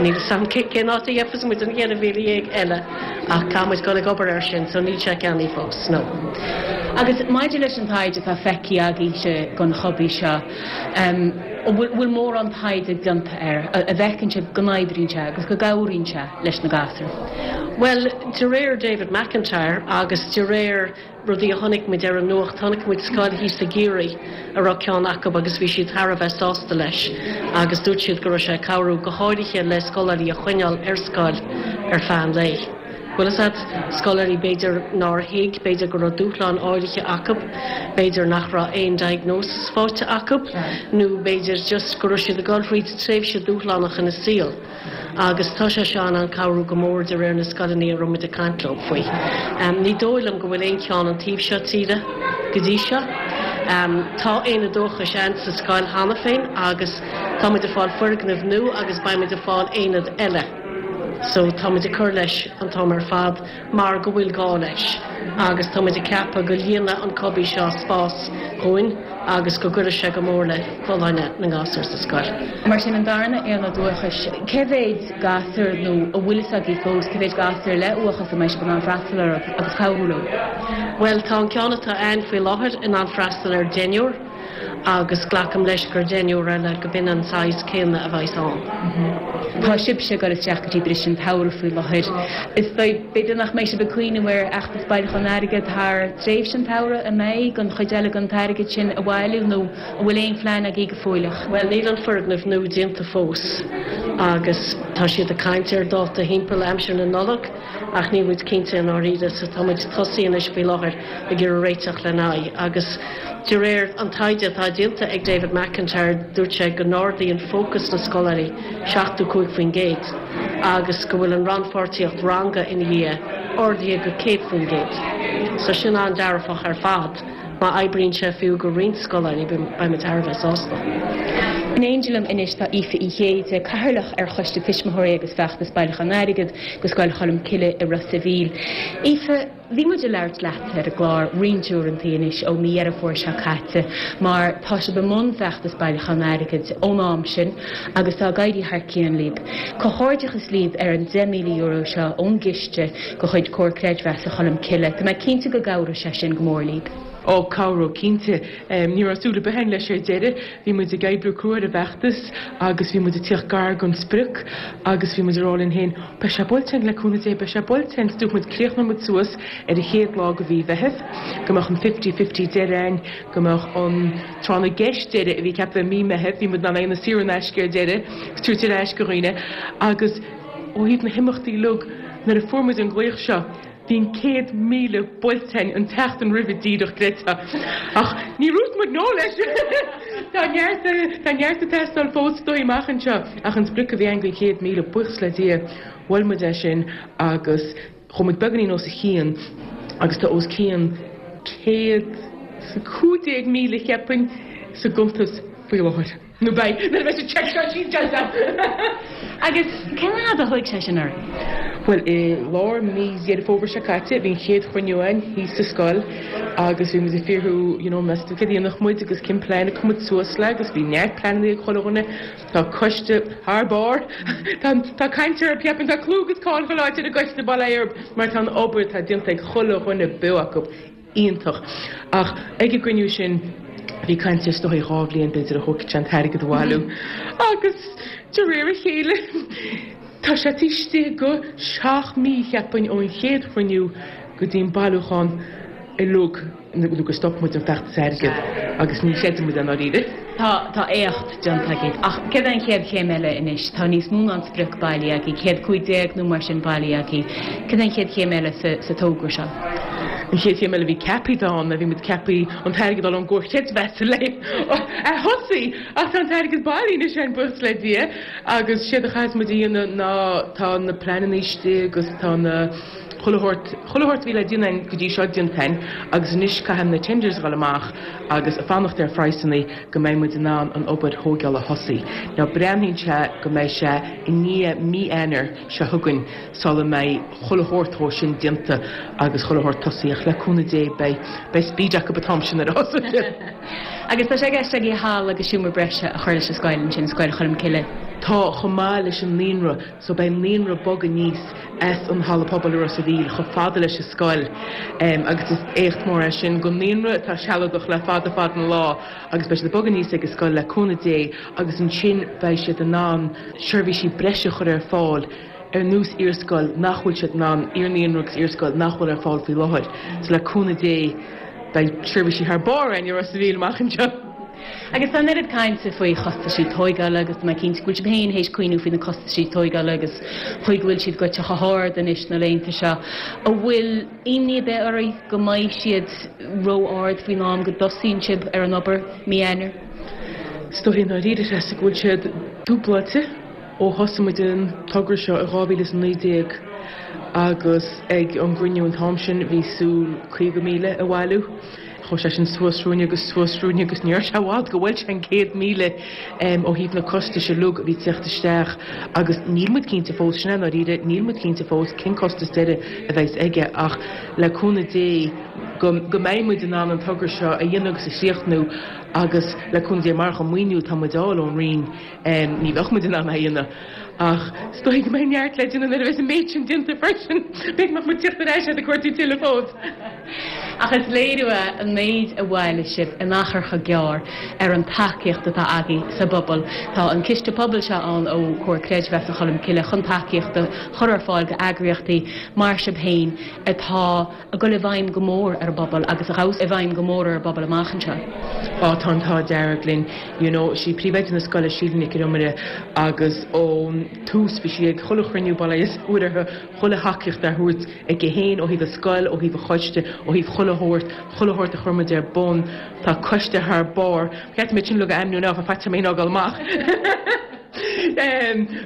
níl a fhios a'm cén áit a gheobhas muid an cheithre mhíle dhéag eile ach caithfidh muid dul ag obair air sin so níl sé ceannaithe fós, no. Agus maidir leis an taighde atá feicthe agaibhse don chuby seo, an bhfuil mórán taighde déanta air, a bhfeiceann sibh go n-oibríonn sé agus go gcabhraíonn sé leis na gasúir? Bhuel, de réir David McIntyre agus de réir rudaí a chonaic muid ar an nuacht, chonaic muid scoil thíos i gCiarraí a raibh ceann acu agus bhí siad thar a bheith sásta leis agus dúirt siad go raibh sé ag cabhrú go háirithe le scoláirí a choinneáil ar scoil ar feadh an lae. Bhfuil a fhios a'd, scoláirí b'fhéidir nár thuig, b'fhéidir go raibh dúshláin áirithe acu, b'fhéidir nach raibh aon diagnosis faighte acu nó b'fhéidir just go raibh siad ag dul thríd tréimhse dúshlánach ina saol agus tá sé seo in ann cabhrú go mór de réir na scoileanna a raibh muid ag caint leo faoi. Ní dóigh liom go bhfuil aon cheann an taobh seo tíre go dtí seo. Tá aonad uathachais ann sa scoil cheana féin agus tá muid ag fáil foirgneamh nua agus beidh muid ag fáil aonad eile. So táimid ag cur leis an t-am ar fad mar go bhfuil gá leis. Agus táimid ag ceapadh go líonfaidh an cubby seo spás dhúinn agus go gcuirfidh sé go mór le folláine na ngasúr sa scoil. Mar sin an darna aonad uathachais, cé mhéad gasúr nó an bhfuil fhios agaibh fós cé mhéad gasúr le uathachas a mbeidh sibh in ann freastal orthu agus cabhrú leo? Bhuel tá an ceann atá ann faoi láthair in ann freastal ar deichniúr agus glacaim leis gur deichniúr eile go b'in an saghas céanna a bheas ann. Tá sibhse ag dul isteach go dtí briseadh an tsamhraidh faoi láthair. Is b'fhéidir nach mbeidh sibh ag cuimhneamh ar fheachtas bailiúchán airgid thar tréimhse an tsamhraidh an mbeidh an chuid eile den t-airgead sin a bhailiú nó an bhfuil aon phlean agaibh go fóilleach. Bhuel níl an foirgneamh nua déanta fós agus tá siad ag caint ar dáta thimpeall aimsir na Nollag ach níl muid cinnte i ndáiríre so tá muid tosaithe anois faoi láthair ag iarraidh réiteach lena aghaidh agus de réir an taighde atá déanta ag David McIntyre dúirt sé go n-ardaíonn fócas na scoláirí seachtó cúig faoin gcéad agus go bhfuil an rannpháirtíocht ranga ina dhiaidh ardaithe go céad faoin gcéad. So sin an-dearfach ar fad má oibríonn sé fiú go roinnt scoláirí beimid thar a bheith sásta. In éindí liom anois tá Aoife Uí Chéide, Cathaoirleach ar Choiste Tuismitheoirí agus Feachtas Bailiúchán Airgid go Scoil Cholm Cille i Ros a' Mhíl. Aoife, bhí muid ag labhairt leat ar an gclár roinnt uaireanta anois ó mí Dheireadh Fómhair seo caite mar tá sibh i mbun feachtas bailiúchán airgid ón am sin agus tá ag éirí thar cionn libh. Comhghairdeachas libh ar an deich míle euro seo ón gciste de chuid Comhar Creidmheasa Cholm Cille. Tá mé cinnte go gcabhróidh sé sin go mór libh. Ó cabhróidh cinnte. Ní raibh súil ar bith againn leis ar deireadh. Bhí muid ag oibriú crua ar an bhfeachtas agus bhí muid ag tíocht gar don sprioc agus bhí muid ag rá linn féin, beidh sé buailte againn le cúnamh Dé, beidh sé buailte againn. Dúirt muid críochnóidh muid suas ar an chéad lá de mhí Mheithimh, go mbeadh an fifty fifty deireadh againn, go mbeadh an tráth na gceist deireadh a bhí ceaptha i mí Mheithimh, bhí muid in ann é a dhéanamh saor in aisce ar deireadh agus tabhairt ar ais go dhaoine agus ó thaobh na himeachtaí uilig, nuair a fuair muid an glaoch seo, Bhí an céad míle buailte againn an tseachtain roimhe díreach, creidfeá. Ach ní dhúirt muid no leis! Tá neart, tá neart ag teastáil fós is dóigh amach anseo. Ach an sprioc a bhí againn don chéad míle, buíochas le Dia, bhuail muid é sin agus chuaigh muid beagáinín os a chionn agus tá os cionn céad is a cúig déag míle, cheapfainn, sa gcuntas faoi láthair. Nó beidh, nuair a bheidh an cheque seo sínte. Agus cén fhad a thóg sé sin oraibh? Bhuel, i lár mí Dheireadh Fómhair seo caite, bhí an chéad chruinniú againn thíos sa scoil agus bhí muid ag fiafraí, you know, meas tú céard a dhéanfadh muid agus cén plean a chuir muid suas le agus bhí neart pleananna ag chuile dhuine. Tá coiste thar barr. Tá, tá caint orthu, ceapaim, tá clú agus cáil chuile áit ar an gcoiste, bail ó Dhia orthu, mar tá an obair atá déanta ag chuile dhuine beo acu. iontach. Ach ag an gcruinniú sin bhí caint ar is dóigh dhá bhliain b'fhéidir a thógfadh sé an t-airgead a bhailiú agus de réir a chéile tá sé taobh istigh de seacht mí cheapfainn ón chéad chruinniú go dtí an bailiúchán uilig nó gur stop muid an feachtas airgid agus ní chreideann muid é i ndáiríre. Tá, tá éacht déanta agaibh. Ach céard é an chéad chéim eile anois? Tá níos mó ná an sprioc bailithe agaibh, céad cúig déag nó mar sin bailithe agaibh. Céard é an chéad chéim eile sa, sa togra seo? An chéad chéim eile a bhí ceaptha ann, bhí muid ceaptha an t-airgead a fháil ón gComhar Creidmheasa le a thosaí ach tá an t-airgead bailithe anois againn buíochas le Dia agus séard a chaithfeas muid a dhéanamh ná tá na pleananna istigh agus tá na Chuile shórt, chuile shórt a bhí le déanamh againn go dtí seo déanta againn agus anois caithfidh na tenders a dhul amach agus ag fanacht ar phraghsanna go mbeidh muid in ann an obair thóigeála a thosaí. Now breathnaíonn sé go mbeidh sé i ndiaidh mí Eanáir seo chugainn sula mbeidh chuile shórt dhó sin déanta agus chuile shórt tosaithe ach le cúnamh Dé beidh, beidh speed acu an t-am sin ar a thosaigh siad. Agus tá sé i gceist agaibh halla agus seomra breise a chur leis an scoil ansin, Scoil Cholm Cille. Tá, chomh maith leis an naíonra, so beidh an naíonra ag bogadh aníos as an halla pobail i Ros a' Mhíl chomh fada leis an scoil agus is éacht mór é sin don naíonra atá sealadach le fada fada an lá agus beidh siad ag bogadh aníos ag an scoil le cúnamh Dé agus ansin beidh siad in ann seirbhísí breise a chur ar fáil ar nós iarscoil nach bhfuil siad in ann, iar-naíonra agus iarscoil nach bhfuil ar fáil faoi láthair. So le cúnamh Dé beidh seirbhísí thar barr againn i Ros a' Mhíl amach anseo. Agus tá an oiread cainte faoi chostaisí tóigeála agus tá mé cinnte go bhfuil sibh féin théis cuimhniú faoi na costaisí tóigeála agus chaoi go bhfuil siad goite chomh hard anois na laethanta seo. An bhfuil imní ar bith oraibh go mbeidh siad ró-ard faoin am go dtosaíonn sibh ar an obair mí Eanáir? Is dóigh i ndáiríre Treasa go bhfuil siad dúbláilte ó thosaigh muid an togra seo i dhá mhíle is a naoi déag agus ag an gcruinniú an t-am sin bhí súil caoga míle a bhailiú. Chuaigh sé sin suas ruainne agus suas ruainne agus ní raibh sé i bhfad go bhfuil sé an céad míle ó thaobh na costais uilig a bhí teacht isteach agus níl muid cinnte fós, sin é ndáiríre, níl muid cinnte fós cén costas deiridh a bheas aige ach le cúnamh Dé go go mbeidh muid in ann an togra seo a dhéanamh agus a chríochnú agus le cúnamh Dé marach an maoiniú atá muid a fháil ón Roinn ní bheadh muid in ann é a dhéanamh. Ach is dóigh go mbeidh neart le déanamh nuair a bheas an méid sin déanta freisin. B'fhéidir go mbeadh muid tíocht ar ais ag cuartú tuilleadh fós. Ach is léiriú é an méid a bhailigh sibh in achar chomh gearr ar an tacaíocht atá agaibh sa bpobal. Tá an Ciste Pobail seo ann ó Chomhar Creidmheasa Cholmcille chun tacaíocht a chur ar fáil d'eagraíochtaí mar sibh féin atá ag dul i bhfeidhm go mór ar an bpobal agus a ghabhfas i bhfeidhm go mór ar an bpobal amach anseo. Á, tá an t-ádh dearg linn. You know, sí príomhoide na scoile, Síle Nic an Iomaire, agus ón tús bhí sí ag chuile chruinniú bail ó Dhia is a uirthi, chuile thacaíocht á thabhairt aici féin ó thaobh an scoil, ó thaobh an choiste, ó thaobh chuile shórt, chuile shórt a chuir muid ar bun. Tá coiste thar barr. Ba cheart dom iad sin uilig a ainmniú now, faitíos orm iad a fhágáil amach.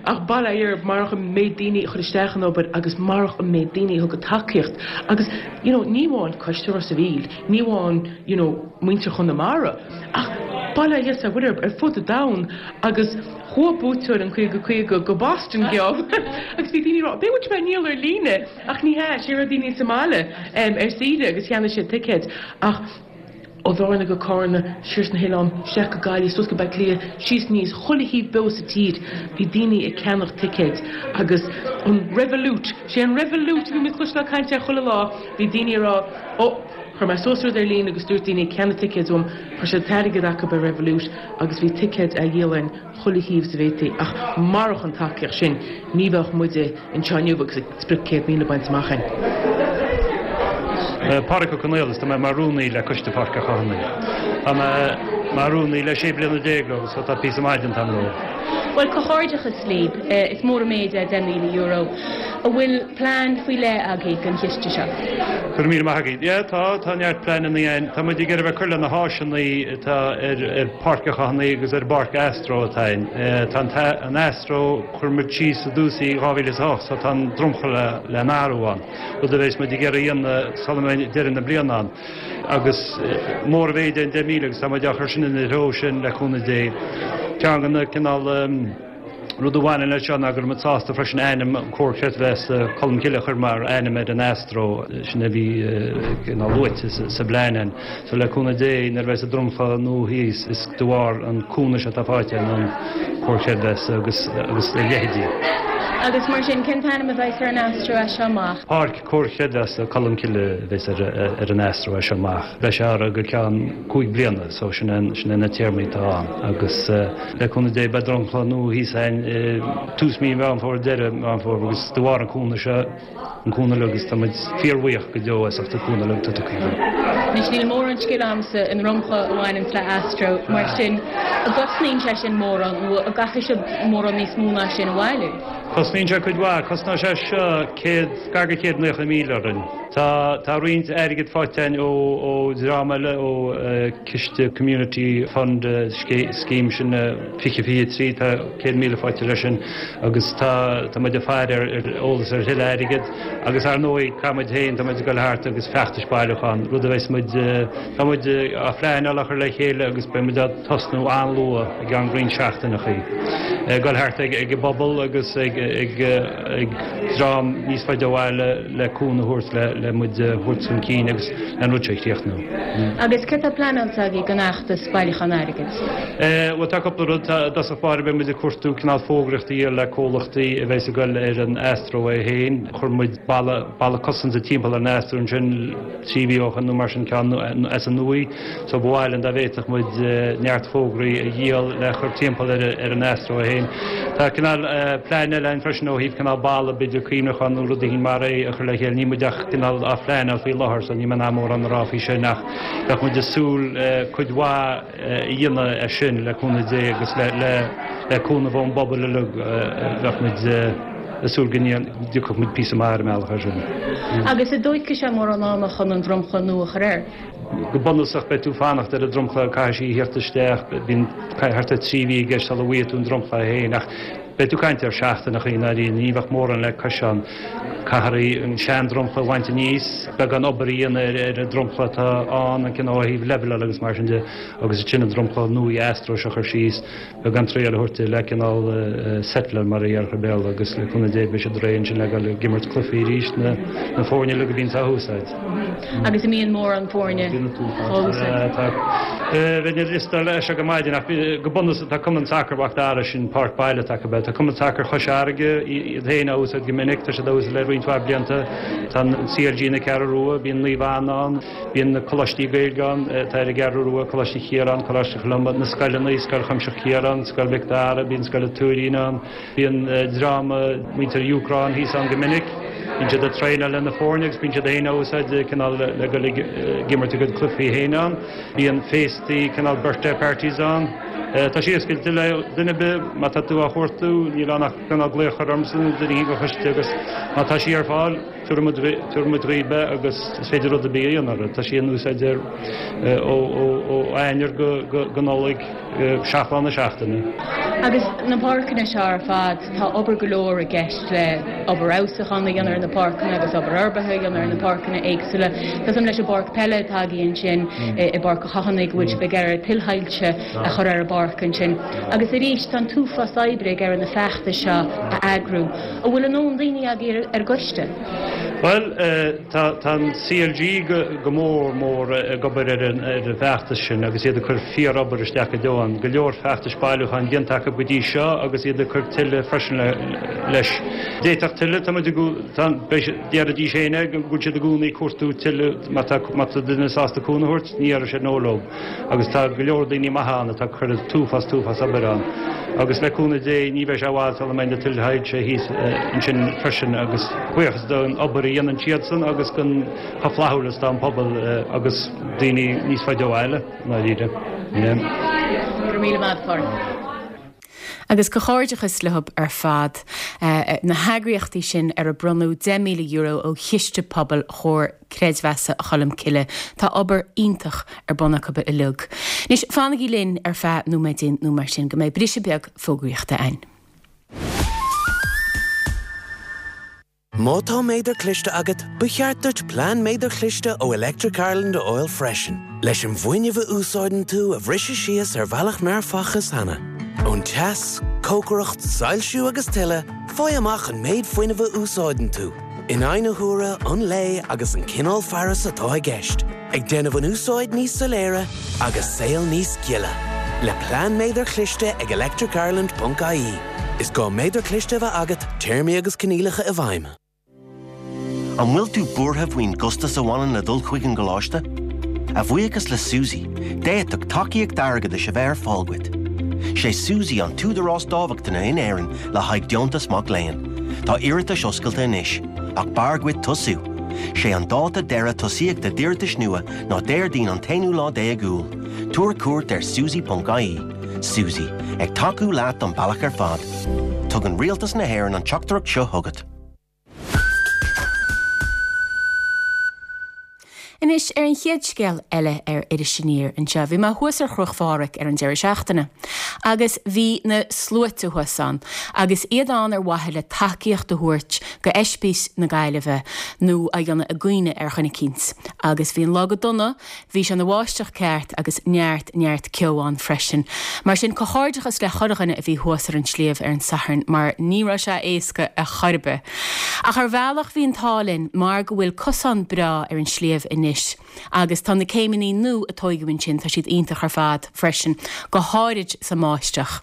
Ach bail ó Dhia orthu, marach an méid daoine a chuir isteach an obair agus marach an méid daoine a thug a tacaíocht agus you know ní amháin Coiste Ros a' Mhíl, ní amháin you know muintir Chonamara ach bail ó Dhia is a Mhuire orthu ar fud an domhain agus chuaigh buaiteoir an caoga caoga go Boston geob agus bhí daoine ag rá b'fhéidir bhfuil sé á ndíol ar líne ach ní hea, sé raibh daoine sa mbaile ar saoire agus cheannaigh siad ticéid ach Ó Bhearna go Carna, siar sna hoileáin, isteach go Gaillimh, suas go Baile Átha Cliath, síos aníos, chuile thaobh beo sa tír, bhí daoine ag ceannach ticéid agus an Revolut, sé an Revolut a bhí muid ag cloisteáil caint air chuile lá, bhí daoine ag rá, ó, chuir mé suas rud ar líne agus dúirt daoine ceannaigh ticéid uaim, chuir siad an t-airgead acu ar Revolut agus bhí ticéid á dhíol againn chuile thaobh is a bhféadfaí ach marach an tacaíocht sin ní bheadh muide anseo inniu agus sprioc céad míle bainte amach againn. Pádraig Ó Conaola, is tá mé mar rúnaí le Coiste Pháirc a' Chothanaigh. Tá mé mar rúnaí le sé bliana déag agus so tá píosa maith déanta agam leo. Bhuel, comhghairdeachas libh. Is mór an méid é deich míle euro. An bhfuil plean faoi leith agaibh don chiste seo? Go raibh míle maith agat. Yeah, tá, tá neart pleananna againn. Tá muid ag iarraidh a bheith ag cur le na háiseanna atá ar ar Páirc a' Chothanaigh agus ar an bPáirc Astro atá ann. Tá an an Astro, chuir muid síos i dtús í dhá mhíle is a hocht, so tá an dromchla le n-athrú ann, rud a bheas muid ag iarraidh a dhéanamh sula mbeidh deireadh na bliana ann. Agus mór an mhéid é an deich míle agus tá muid á chur sin ina threo sin le cúnamh Dé. Ceann de na cineál rud a bhaineann leis seo ná go raibh muid sásta freisin ainm an Comhar Creidmheasa Colmcille a chur mar ainm ar an Astro, sin a bhí cineál luaite sa bplean ann. So le cúnamh Dé nuair a bheas an dromchla nua thíos is de bharr an cúnamh seo atá faighte ón Comhar Creidmheasa agus agus a leithéidí. Agus mar sin, cén t-ainm a bheas ar an Astro as seo amach? Páirc Comhar Creidmheasa Colmcille a bheas ar ar an Astro as seo amach. Beidh sé ar go ceann cúig bliana so sin é sin é na téarmaí atá ann agus le cúnamh Dé beidh dromchla nua thíos againn i tús mí Mheán Fómhair, deireadh Mheán Fómhair agus de bharr an cúnamh seo, an cúnamh uilig agus tá muid fíorbhuíoch go deo as ucht an cúnamh uilig atá tugtha dúinn. Anois níl mórán scil agamsa i ndromchla a bhaineanns le Astro, mar sin an gcosnaíonn sé sin mórán nó an gcaithfidh sibh mórán níos mó ná sin a bhailiú? Cosnaíonn sé cuid mhaith, cosnóidh sé seo céad, gar go céad naocha míle orainn. Tá, tá roinnt airgid faighte againn ó, ó dhream eile, ó ciste Community Fund Scheme sin fiche fiche trí, tá céad míle faighte leis sin agus tá, tá muid ag faire ar, ar eolas ar thuilleadh airgid agus ar ndóigh caithfidh muid féin, tá muid ag dul thart agus feachtais bailiúcháin, rud a bheas muid, tá muid á phleanáil a chur le chéile agus beidh muid á tosnú an-luath i gceann roinnt seachtaineachaí. Ag dul thart ag, ag an bpobal agus ag, ag, ag dream níos faide ó bhaile le cúnamh a thabhairt le, le muid a thabhairt chun cinn agus le an rud seo a chríochnú. Agus céard tá pleanáilte agaibh don fheachtas bailiúchán airgid? Bhuel tá cúpla rud, tá, i dtosach báire beidh muid ag cuartú cineál fógraíocht a dhíol le comhlachtaí a bheas ag dul ar an Astro é féin. Chuir muid balla, balla cosanta timpeall ar an Astro ansin trí mhí ó shin nó mar sin ceann as an uaigh so ba mhaith linn dá bhféadfadh muid neart fógraí a dhíol le chur timpeall ar, ar an Astro é féin. Tá cineál plean eile ann freisin ó thaobh cineál balla b'fhéidir cuimhneachán nó rud éigin mar é a chur le chéile. Níl muid ach cineál á phleanáil faoi láthair so níl mé in ann mórán a rá faoi sin ach bheadh muid ag súil cuid mhaith a dhéanamh as sin le cúnamh Dé agus le le le cúnamh ón bpobal uilig bheadh muid ag súil go dtiocfadh muid píosa maith ar an mbealach ar sin. Agus an dtógfaidh sé mórán ama chun an dromchla nua a chur air? Go bunúsach beidh tú ag fanacht ar an dromchla, caithfidh sí a theacht isteach, bíonn thart ar trí mhí i gceist sula bhfaighidh tú an dromchla féin ach Beidh tú ag caint ar seachtaineachaí i ndáiríre, ní bheadh mórán le coiseán. Caithfear an sean-dromchla a bhaint aníos, beagán obair a dhéanamh ar an dromchla atá ann, an cineál ó thaobh leibheáil agus mar sin de, agus ansin an dromchla nua astro seo a chur síos, beagán triail a thabhairt di le cineál settler mar a déarfá i mBéarla agus le cúnamh Dé beidh siad réidh ansin le dul ag imirt cluichí arís na na foirne uilig a bhíonns á húsáid. Agus an mbíonn mórán foirne á úsáid? Tá. Bheinn ag liostáil leis seo go maidin ach go bunúsach tá Cumann Sacair Mhac Dara sin páirc baile atá acu. Tá Cumann Sacair Chois Fharraige iad féin á úsáid go minic, tá siad á úsáid le roinnt mhaith blianta. Tá an CLG na Ceathrú Rua, bíonn Naomh Anna ann, bíonn na coláistí Gaeilge ann, atá ar an gCeathrú Rua, Coláiste Chiaráin, Coláiste Cholumba, na scoileanna, Scoil Chuimsitheach Chiaráin, Scoil Mhic Dara, bíonn Scoil an Tuairín ann, bíonn dream muintir Úcráin thíos ann go minic. Bíonn siad ag traenáil le na foirne agus bíonn siad féin á úsáid cineál le dul ag imirt a gcuid cluichí féin ann. Bíonn féastaí cineál birthday parties ann. Tá sí oscailte le duine ar bith má tá tú á chuartú, níl ann ach cineál glaoch a chur ormsa nó duine éigin den choiste agus má tá sí ar fáil, tabharfaidh muid dhaoibh é agus is féidir rud ar bith a dhéanamh uirthi. Tá sí in úsáid ar ó Eanáir go Nollaig, seacht lá na seachtaine. Agus na páirceanna seo ar fad, tá obair go leor i gceist le obair fheabhsúcháin a dhéanamh ar na páirceanna agus obair fhorbartha a dhéanamh ar na páirceanna éagsúla. Tá a fhios agam leis an bpáirc peile atá agaibh ansin i bPáirc an Chathánaigh go bhfuil sibh ag iarraidh tuilshoilse a chur ar an bpáirc ansin. Agus arís, tá an t-uafás oibre ag iarraidh na feachtais seo a eagrú. An bhfuil a ndóthain daoine agaibh ar an gcoiste? Bhuel, tá an CLG go mór mór ag obair ar an bhfeachtas sin agus iad ag cur fíor-obair isteach go deo ann. Go leor feachtais bailiúcháin déanta acu go dtí seo agus iad ag cur tuilleadh freisin leis. D'fhéadfadh tuilleadh, tá muid ag, tá, déarfaidís féin é, go bhfuil siad i gcónaí ag cuartú tuilleadh má tá, má tá duine sásta cúnamh a thabhairt, ní dhéarfaidh siad no leo. Agus tá go leor daoine maithe ann atá ag cur an t-uafás, t-uafás obair ann. Agus le cúnamh Dé ní bheidh sé i bhfad sula mbeidh na tuilshoilse thíos ansin freisin agus buíochas don obair a dhéanann siadsan agus don chomh flaithiúil is atá an pobal agus daoine níos faide ó bhaile, i ndáiríre. Go raibh míle maith agat, Pádraig. Agus comhghairdeachas leo ar fad, na heagraíochtaí sin ar a bronnadh deich míle euro ó Chiste Pobail Chomhar Creidmheasa Cholmcille. Tá obair iontach ar bun acu uilig. Anois, fanaigí linn ar feadh nóiméidín nó mar sin go mbeidh briseadh beag fógraíochta againn. Má tá méadar cliste agat, ba cheart duit plean méadair chliste ó Electric Ireland a fháil freisin, leis an bhfuinneamh a úsáideann tú a bhriseadh síos ar bhealach nár facthas cheana. Ón teas, cócaireacht, soilsiú agus tuilleadh, faigh amach an méid fuinnimh a úsáideann tú, in aghaidh na huaire, an lae agus an cineál fearas atá i gceist, ag déanamh an úsáid níos soiléire agus saol níos gile. Le plean méadair chliste ag electricireland ponc ie. Is gá méadar cliste a bheith agat, téarmaí agus coinníollacha i bhfeidhm. An bhfuil tú buartha faoin gcostas a bhaineann le dul chuig an gcoláiste? A bhuíochas le SUSI, d'fhéadfadh tacaíocht airgeadais a bheith ar fáil duit. Sé SUSI an t-údarás dámhachtana in Éirinn le haghaidh deontas mac léinn. Tá iarratais oscailte anois, ach b'fhearr duit tosú. Sé an dáta deireadh tosaíochta d'iarratais nua ná Déardaoin an t-aonú lá déag Iúil. Tabhair cuairt ar susi.ie. SUSI, ag tacú leat an bealach ar fad. Tugann Rialtas na hÉireann an teachtaireacht seo chugat. Anois ar an chéad scéal eile ar Iris Aniar anseo. Bhí mé thuas ar Chnoc Phádraig ar an deireadh seachtaine agus bhí na sluaite thuas ann agus iad ann ar mhaithe le tacaíocht a thabhairt go Oispís na Gaillimhe nó a dhéanamh i gcuimhne ar dhuine eicínt. Agus bhí an lá go dona, bhí sé ina bháisteach ceart agus neart, neart ceo ann freisin. Mar sin, comhghairdeachas le chuile dhuine a bhí thuas ar an sliabh ar an Satharn mar ní raibh sé éasca ar chor ar bith. Ach ar bhealach bhí an t-ádh linn mar go bhfuil cosán breá ar an sliabh anois agus tá na céimeanna nua a tóigeadh ansin, tá siad iontach ar fad freisin, go háirid sa mbáisteach.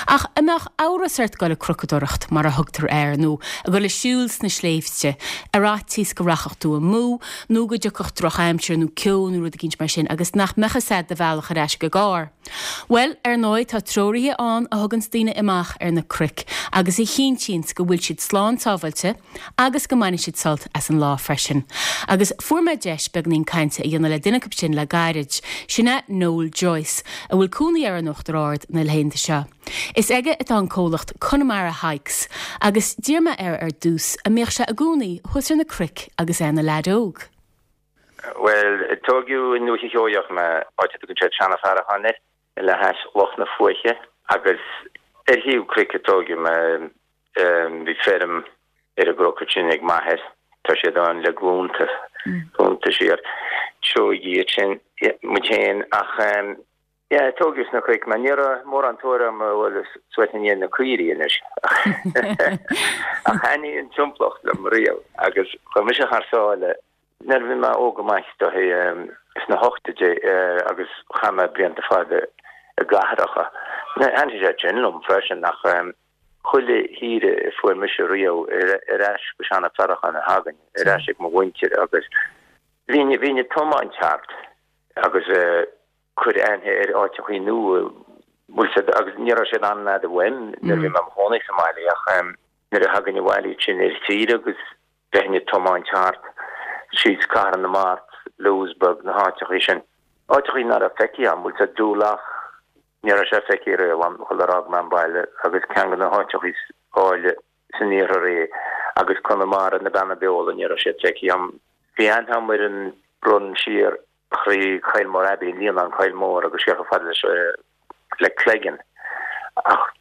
Ach an mbeadh amhras ort dul ag crocadóireacht, mar a thugtar air, nó a dhul ag siúl sna sléibhte, ar fhaitíos go rachadh tú amú, nó go dtiocfadh drochaimsir nó ceo nó rud eicínt mar sin agus nach mbeadh fhios a'd do bhealach ar ais go an gcarr? Bhuel, ar ndóigh, tá treoraithe ann a thuganns daoine amach ar na cnoic agus a chinntíonns go bhfuil siad slán sábháilte agus go mbainfidh siad sult as an lá freisin. Agus fuair mé deis beagainín cainte a dhéanamh le duine acu sin le gairid, sin é Noel Joyce, a bhfuil cónaí air in Uachtar Ard na laethanta seo. Is aige atá an comhlacht Connemara Hikes agus d'iarr mé air ar dtús an mbíodh sé i gcónaí thuas ar na cnoic agus é ina leaid óg. Bhuel, tógadh i nDúiche Sheoigheach mé, áit a dtugann siad Seanadh Faracháin air, le hais Loch na Fuaiche, agus Ar thaobh cnoic a tógadh mé, bhí feirm ar an gcnoc sin ag m'athair, tá siad ann le glúnta, glúnta siar. Tógadh iad sin, muid féin, ach yeah, tógadh sna cnoic mé. Ní raibh mórán tóir orm a dhul suas i ndiaidh na caoirigh anois. Ach thaitnigh an timpeallacht liom riamh agus chuaigh mise thar sáile nuair a bhí mé óg go maith, is dóichí, sna hochtóidí agus chaith mé blianta fada i gcathracha. Thaitnigh sé sin liom freisin ach chuile shaoire a fuair mise riamh ar ais go Seanadh Faracháin a thagainn, ar ais ag mo mhuintir agus bhínn bhínn ag tiomáint thart agus cur aithne ar áiteachaí nua, bhfuil 's a'd, agus ní raibh siad an-fhada uaim nuair a bhí mé i mo chónaí sa mbaile ach nuair a thagainn abhaile ansin ar saoire agus bheinn ag tiomáint thart síos Cathair na Mart, Louisburgh, na háiteachaí sin. Áiteachaí nach raibh feicthe agam, bhfuil 's a'd, Doolough, ní raibh sé feicthe riamh agam sular fhág mé an baile agus ceann de na háiteachaí is áille san iarthar é agus Conamara, na Beanna Beola, ní raibh siad feicthe agam. Bhí aithne agam ar an run siar thrí Kylemore Abbey, Líonán Coill Mór agus siar chomh fada leis le Cleggan. Ach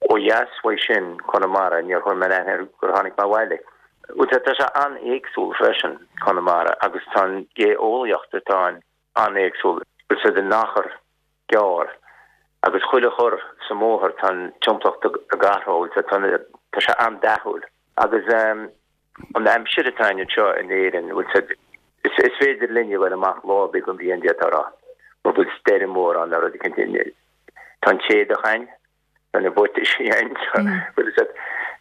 ó dheas uaidh sin, Conamara, níor chuir mé aithne air gur tháinig mé abhaile. Bhuel, tá sé an-éagsúil freisin, Conamara, agus tá an gheolaíocht atá ann an-éagsúil. Bhfuil 's a'd in achar gearr agus chuile chor sa mbóthar tá an timpeallacht ag athrú, bhfuil 's a'd, tá sé an-dathúil. Agus an aimsir atá ann anseo in Éirinn, bhfuil 's a'd, is féidir linn a ghoil amach lá ar bith den bhliain d'fhéadfá a rá, mura bhfuil stoirm mhór ann nó rud éicint. Tá an t-éadach ann, tá na buataisí ann, bhfuil 's a'd,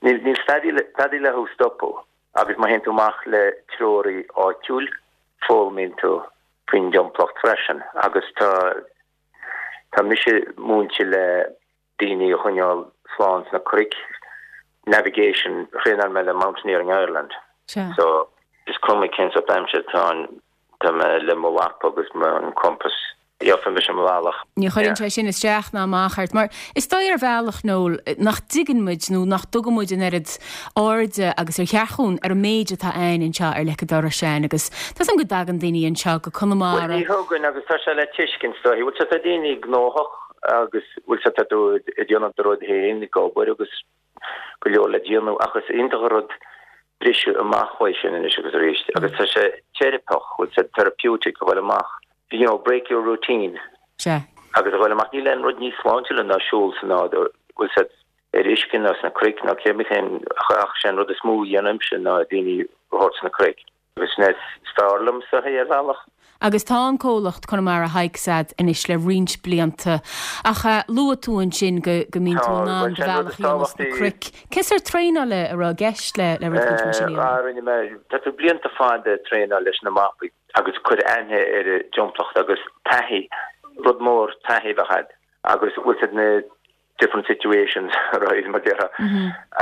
níl níl stadaí le thú stopadh agus má théann tú amach le treoraí áitiúil, foghlaimíonn tú faoin dtimpeallacht freisin agus tá tá mise múinte le daoine a choinneáil slán sna cnoic, navigation, thraenáil mé le Mountaineering Ireland. Sea. So is cuma cén sórt aimsire atá ann, tá mé le mo mhapa agus mo compass, gheobhaidh mise mo bhealach. Ní chuireann sé sin isteach ná amach ort, mar is dóigh ar bhealach, Noel, nach dtuigeann muid nó nach dtugann muid an oiread airde agus ar cheart dhúinn ar an méid atá ann anseo ar leic an dorais againn agus tá 's agam go dtagann daoine anseo go Conamara. Bhuel, ní thugann agus tá sé le tuiscint, is dóichí. Bhuel, tá daoine gnóthach agus bhfuil 's a'd tá tú ag déanamh do rud féin, ag obair agus go leor le déanamh ach is iontach an rud briseadh amach uaidh sin anois agus arís agus tá sé teiripeach, bhfuil 's a'd, therapeutic a dhul amach, you know, break your routine. Sea. Agus a dhul amach, níl aon rud níos sláintiúla ná siúl sa nádúr, bhfuil 's a'd, ar uisce ná sna cnoic ná cé bith cén ach sé an rud is mó a dhéanaimse ná daoine a thabhairt sna cnoic. Agus sin é is fearr liomsa é ar bhealach. Agus tá an comhlacht Conamara Hikes a'd anois le roinnt blianta. Ach luaigh tú ansin go go mbíonn tú in ann do bhealach a dhéanamh sna cnoic. Cén sórt traenála a raibh i gceist le le rud éicint mar sin a dhéanamh? Rinne mé, tá tú blianta fada ag traenáil leis na mapaí agus cur aithne ar an dtimpeallacht agus taithí, rud mór taithí a bheith a'd agus bhfuil 's a'd na different situations right mar déarfá.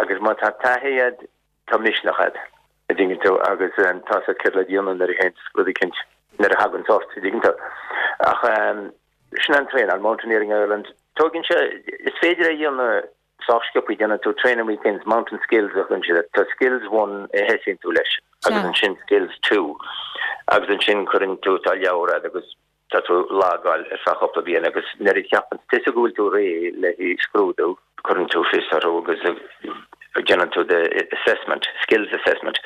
Agus má tá taithí a'd tá misneach a'd, a dtuigeann tú, agus tá 's a'd céard le déanamh nuair a théann rud éicint, nuair a thagann ort, a dtuigeann tú. Ach sin an traenáil, Mountaineering Ireland, tógann sé, is féidir é a dhéanamh sách sciobtha, déanann tú training weekends, mountain skills a thugann siad air, tá skills one a thosaíonn tú leis agus ansin skills two agus ansin cuireann tú, tá leabhar a'd agus tá tú ag logáil ar feadh cúpla bliain agus nuair a cheapann tusa go bhfuil tú réidh le haghaidh scrúdú, cuireann tú fios orthu agus déanann tú the assessment, skills assessment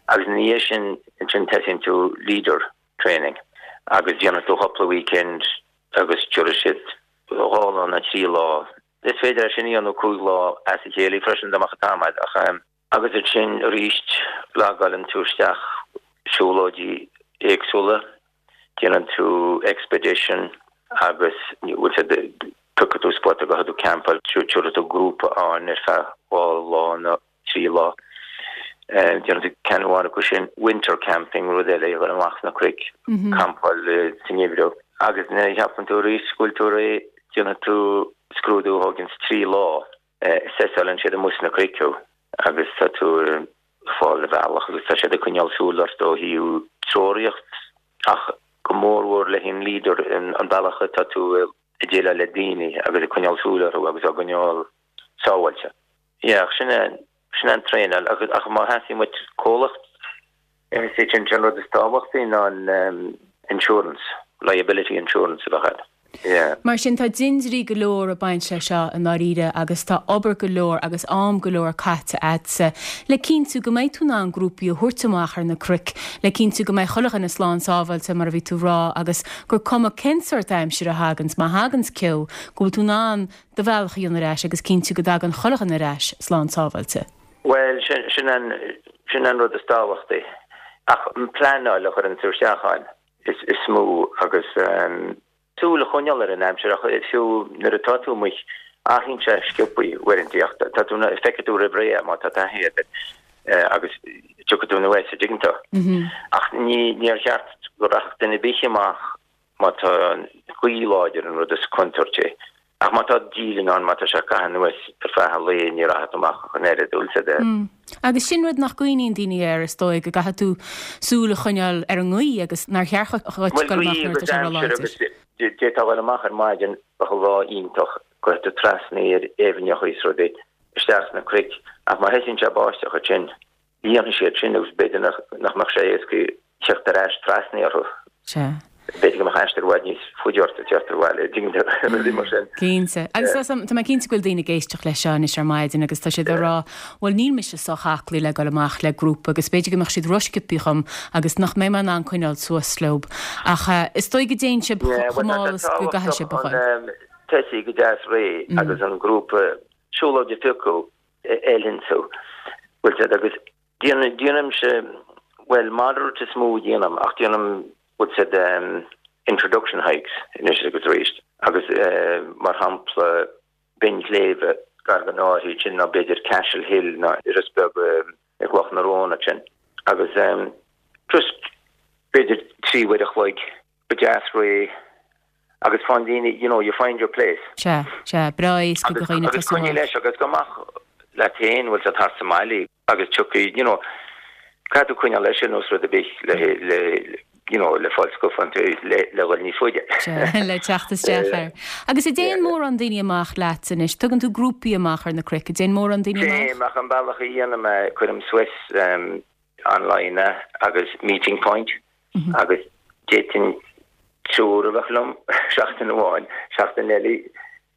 agus ina dhiaidh sin ansin tosaíonn tú leader training agus déanann tú cúpla weekend agus tabharfaidh siad dhá lá nó trí lá. Is féidir é sin a dhéanamh cúig lá as a chéile freisin dá mbeadh an t-am agat ach agus ansin arís logálann tú isteach siúlóidí éagsúla. Déanann tú expedition agus bhfuil 's a'd, piocfaidh tú spota go tú campáil, tabharfaidh tú grúpa ann ar feadh dhá lá nó trí lá. Déanann tú ceann amháin acu sin, winter camping, rud eile, a dhul amach sna cnoic, campáil sa ngeimhreadh. Agus nuair a cheapann tú arís go bhfuil tú réidh, déanfaidh tú scrúdú a thóganns trí lá. Assessálann siad amuigh sna cnoic thú agus tá tú ag fáil do bhealach agus tá siad ag coinneáil súil ort ó thaobh treoraíocht ach go mórmhór le haghaidh an leader an bealach atá tú ag déileáil le daoine agus ag coinneáil súil orthu agus á gcoinneáil sábháilte. Yeah, ach sin é, sin é an traenáil ach, ach má theastaíonn uait comhlacht is é sin an rud is tábhachtaí ná an insurance, liability insurance a bheith agat. Yeah. Mar sin tá dindirí go leor ag baint leis seo i ndáiríre agus tá obair go leor agus am go leor caite agatsa le cinntiú go mbeidh tú in ann grúpaí a thabhairt amach ar na cnoic, le cinntiú go mbeidh chuile dhuine slán sábháilte mar a bhí tú a rá agus gur cuma cén sórt aimsire a thaganns, má thaganns ceo, go bhfuil tú in ann do bhealach a dhéanamh ar ais agus cinntiú go dtagann chuile dhuine ar ais slán sábháilte. Bhuel, sin, sin an, sin an rud is tábhachtaí. Ach an pleanáil a chuireann tú isteach ann is, is mó agus um, súil a choinneáil ar an aimsir ach fiú nuair atá tú amuigh athraíonn sé sciobthaí uaireanta ach tá tú feicfidh tú roimh ré má tá taithí agat agus tiocfaidh tú anuas an dtuigeann tú. Ach ní níor cheart go rachadh duine ar bith amach má tá gaoth láidir an rud is contúirtí. Ach má tá díleann ann má tá sé ag caitheamh anuas ar feadh an lae ní rachaidh tú amach ach an oiread bhfuil a fhios agat. Agus sin rud nach gcuimhníonn daoine air is dóigh go gcaithfidh tú súil a choinneáil ar an ngaoth agus nár cheart dhuit Bhuel dul amach gaoth nuair atá agus sé aimsir agus róláidir. d'fhéadfá dul amach ar maidin bheadh lá iontach gabhfaidh tú trasna ar aibhneacha is rudaí isteach sna cnoic ach má thosaíonn sé ag báisteach ansin líonfaidh siad sin agus b'fhéidir nach nach mbeadh sé éasca teacht ar ais trasna orthu. Sea. B'fhéidir go mbeadh aistear i bhfad níos faide ort ag teacht abhaile, an dtuigeann tú, rudaí mar sin. Cinnte. Agus tá tá mé cinnte go bhfuil daoine ag éisteacht leis seo anois ar maidin agus tá siad ag rá, bhuel níl mise sách aclaí le dul amach le grúpa agus b'fhéidir go mbeadh siad rósciobtha dhom agus nach mbeidh mé in ann coinneáil suas leo. Ach is dóigh go dtéann sibh Yeah, chomh bhuel tá mall sé is go gcaithfidh tábhachtach sibh a an ghoil. tosaí go deas réidh agus an grúpa siúlóid a phiocadh a fheileann tú. Bhfuil a fhios agat agus déanaimse, bhuel moderate is mó a dhéanaim ach déanaim bhfuil a fhios agat introduction hikes anois agus arís agus mar shampla Binn Shléibhe gar don áit sin nó b'fhéidir Cashel Hill nó Iorras Beag i gCloch na Rón ansin agus just b'fhéidir trí uair a chloig go deas réidh agus faigheann daoine you know you find your place. Sea, sea, breá éasca do Agus dhaoine agus tosú coinnigh amach. leis agus go amach leat féin bhfuil a fhios agat thart sa mbaile agus tiocfaidh you know caithfidh tú coinneáil leis sin os rud ar bith le le you know le fáil scuffan le le dhul níos faide. Sea, le teacht isteach air. Agus an dtéann mórán daoine amach leat anois, tugann tú grúpaí amach ar na cnoic, an dtéann mórán daoine amach? Téim ach an bealach a dhéanaim é cuirim suas um, online é agus meeting point agus d'fhéadfainn triúr a bheith liom seachtain amháin, seachtain eile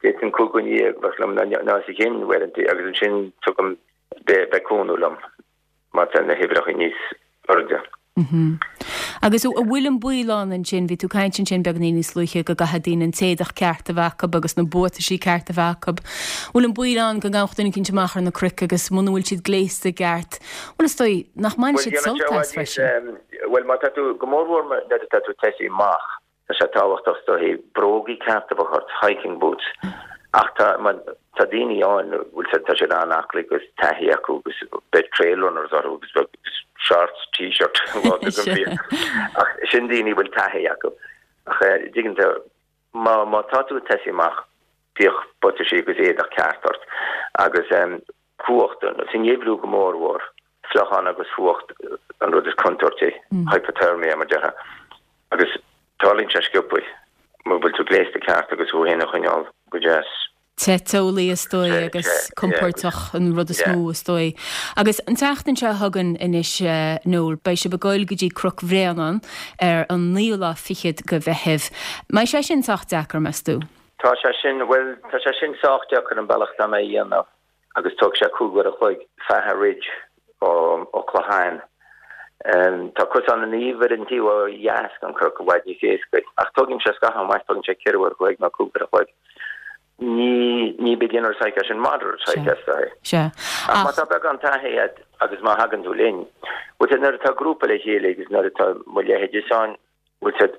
d'fhéadfainn cúig dhuine dhéag a bheith liom ná ná os a chionn uaireanta agus ansin tugaim beidh cúnamh liom má tá na huimhreacha níos airde. Agus an bhfuil an baol ann ansin, bhí tú ag caint ansin beagáinín níos luaithe go gcaithfidh daoine an t-éadach ceart a bheith acu agus na buataisí ceart a bheith acu. Bhfuil an baol ann go ngabhadh duine eicínt amach ar na cnoic agus muna bhfuil siad gléasta i gceart, bhuel is dóigh nach mbainfidh Bhuel siad déanann sé sult i as bhfad níos freisin. bhuel má tá tú go mórmhór nuair atá tú ag tosaí amach tá sé tábhachtach is dóigh brógaí ceart a bheith ort, hiking boots ach tá tá daoine ann bhfuil siad tá siad an-aclaí agus taithí acu agus beidh trail runners orthu agus beidh shorts t-shirt lá den bhliain ach sin daoine bhfuil taithí acu ach eh, dtuigeann tú má má tá tú ag tosaí amach bíodh buataisí agus éadach ceart ort agus um, fuacht san gheimhreadh go mórmhór fliuchán agus fuacht an rud is contúirtí hypothermia mar déarfá agus tarlaíonn sé sciobthaí má bhfuil tú gléasta ceart agus thú féin a choinneáil go deas. Te teolaí is dóigh Te, agus te, yeah, compordach an rud is yeah. mó is dóigh. Agus an tseachtain seo chugainn anois eh, Noel, beidh sibh ag goil go dtí Cnoc Bhréanainn ar an naoú lá fichead de Mheitheamh. Mbeidh sé sin sách deacair meas tú? Tá sé sin well tá sé sin sách deacair an bealach tá mé a dhéanamh agus tóg sé cúig uair a chloig Faha Ridge ó ó Clochán. Um, tá cosán an Naoimh ar an taobh ó dheas den chnoc i bhfad níos éasca ach tógann sé scaitheamh amach tógann sé ceithre uair a chloig nó cúig uair a chloig. Ní ní beginner's hike é sin moderate hike Sea. is dóigh. Sea. Ach má Ach tá beagán taithí agat agus má thagann tú linn, bhfuil a fhios agat nuair atá grúpa le chéile agus nuair atá mo leithéid ann, bhfuil a fhios agat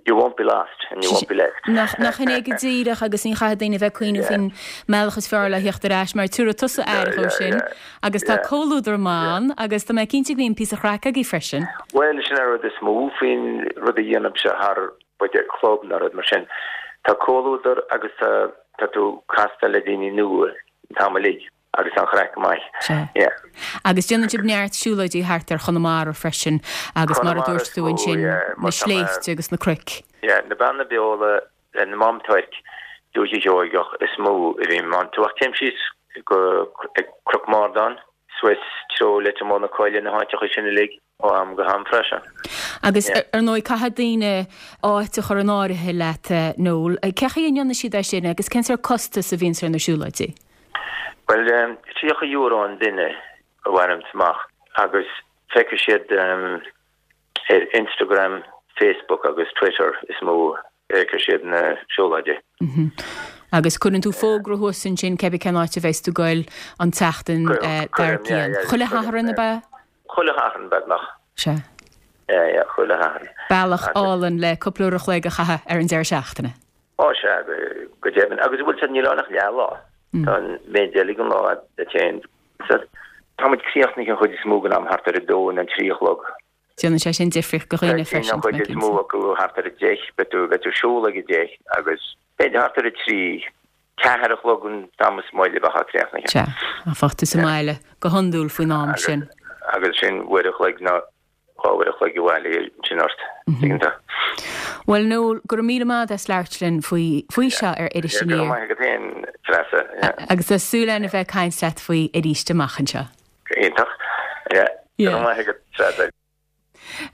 you won't be lost and you won't be left. Nach nach in é go díreach agus ní chaithfidh daoine bheith ag cuimhneamh Yeah. faoin mbealach is fearr le theacht ar ais mar tabharfaidh tusa aire Yeah, sin yeah, agus tá yeah. comhluadar maith agus tá mé cinnte go mbíonn píosa craic agaibh freisin. Well sin an rud is mó faoin rud a dhéanaimse thar b'fhéidir club nó rud mar sin. Tá comhluadar agus tá tá tú casta le daoine nua an t-am uilig agus an chraic maith. Sea. Yeah. Agus déanann sibh neart siúlóidí thart ar Chonamara freisin agus mar a Conamara dúirt is tú mó, ansin yeah, na mar tá mé- sléibhte agus na cnoic. Yeah, na Beanna Beola na Mám Tuirc Dúiche Sheoigeach is mó a bhím ann. Tú ach téim síos go ag Cnoc Mardán, suas treo Leitir Mór na Coille na háiteacha sin uilig ó am go ham freisin. Agus ar ndóigh caithfidh daoine áit a chur in áirithe leat, Noel. Cén chaoi a ndéanann siad é sin agus cén sórt costas a bhíonns ar na siúlóidí? Bhuel, tríocha euro an duine a bhainim amach agus feicfidh siad ar Instagram, Facebook agus Twitter is mó a fheicfidh siad na siúlóidí. Agus cuireann tú fógra thuas ansin cébí cén áit a bheas tú ag goil an tseachtain dár gcionn. Chuile Shatharn ab ea? Chuile Shatharn beagnach. Sea. Yeah, yeah, chuile Shatharn. Bealach álainn le cúpla uair a chloig a chaitheamh ar an deireadh seachtaine. Ó sea, go deimhin. Agus bhfuil sé, níl ann ach leathlá. Tá an méid eile den lá duit féin. Tá muid críochnaithe an chuid is mó den am thart ar a dó nó a trí a chlog. Déanann sé sin difríocht do dhaoine freisin. An chuid is mó acu thart ar a deich, beidh tú beidh tú ag siúl ag a deich agus b'fhéidir thart ar a trí, ceathair a chlog an t-am is moille a bheifeá críochnaithe. Sea, bheifeá sa mbaile go hiondúil faoin am sin. Agus sin uair a chloig nó dhá uair a chloig abhaile ansin ort, tuigeann tú. Bhuel Noel, go raibh míle maith agat as labhairt linn faoi faoi seo ar Iris Go raibh Aniar. maith agat féin, Treasa. Yeah. Agus tá súil againn a bheith ag caint leat faoi arís amach anseo. Iontach. Yeah. Go raibh maith agat, Treasa.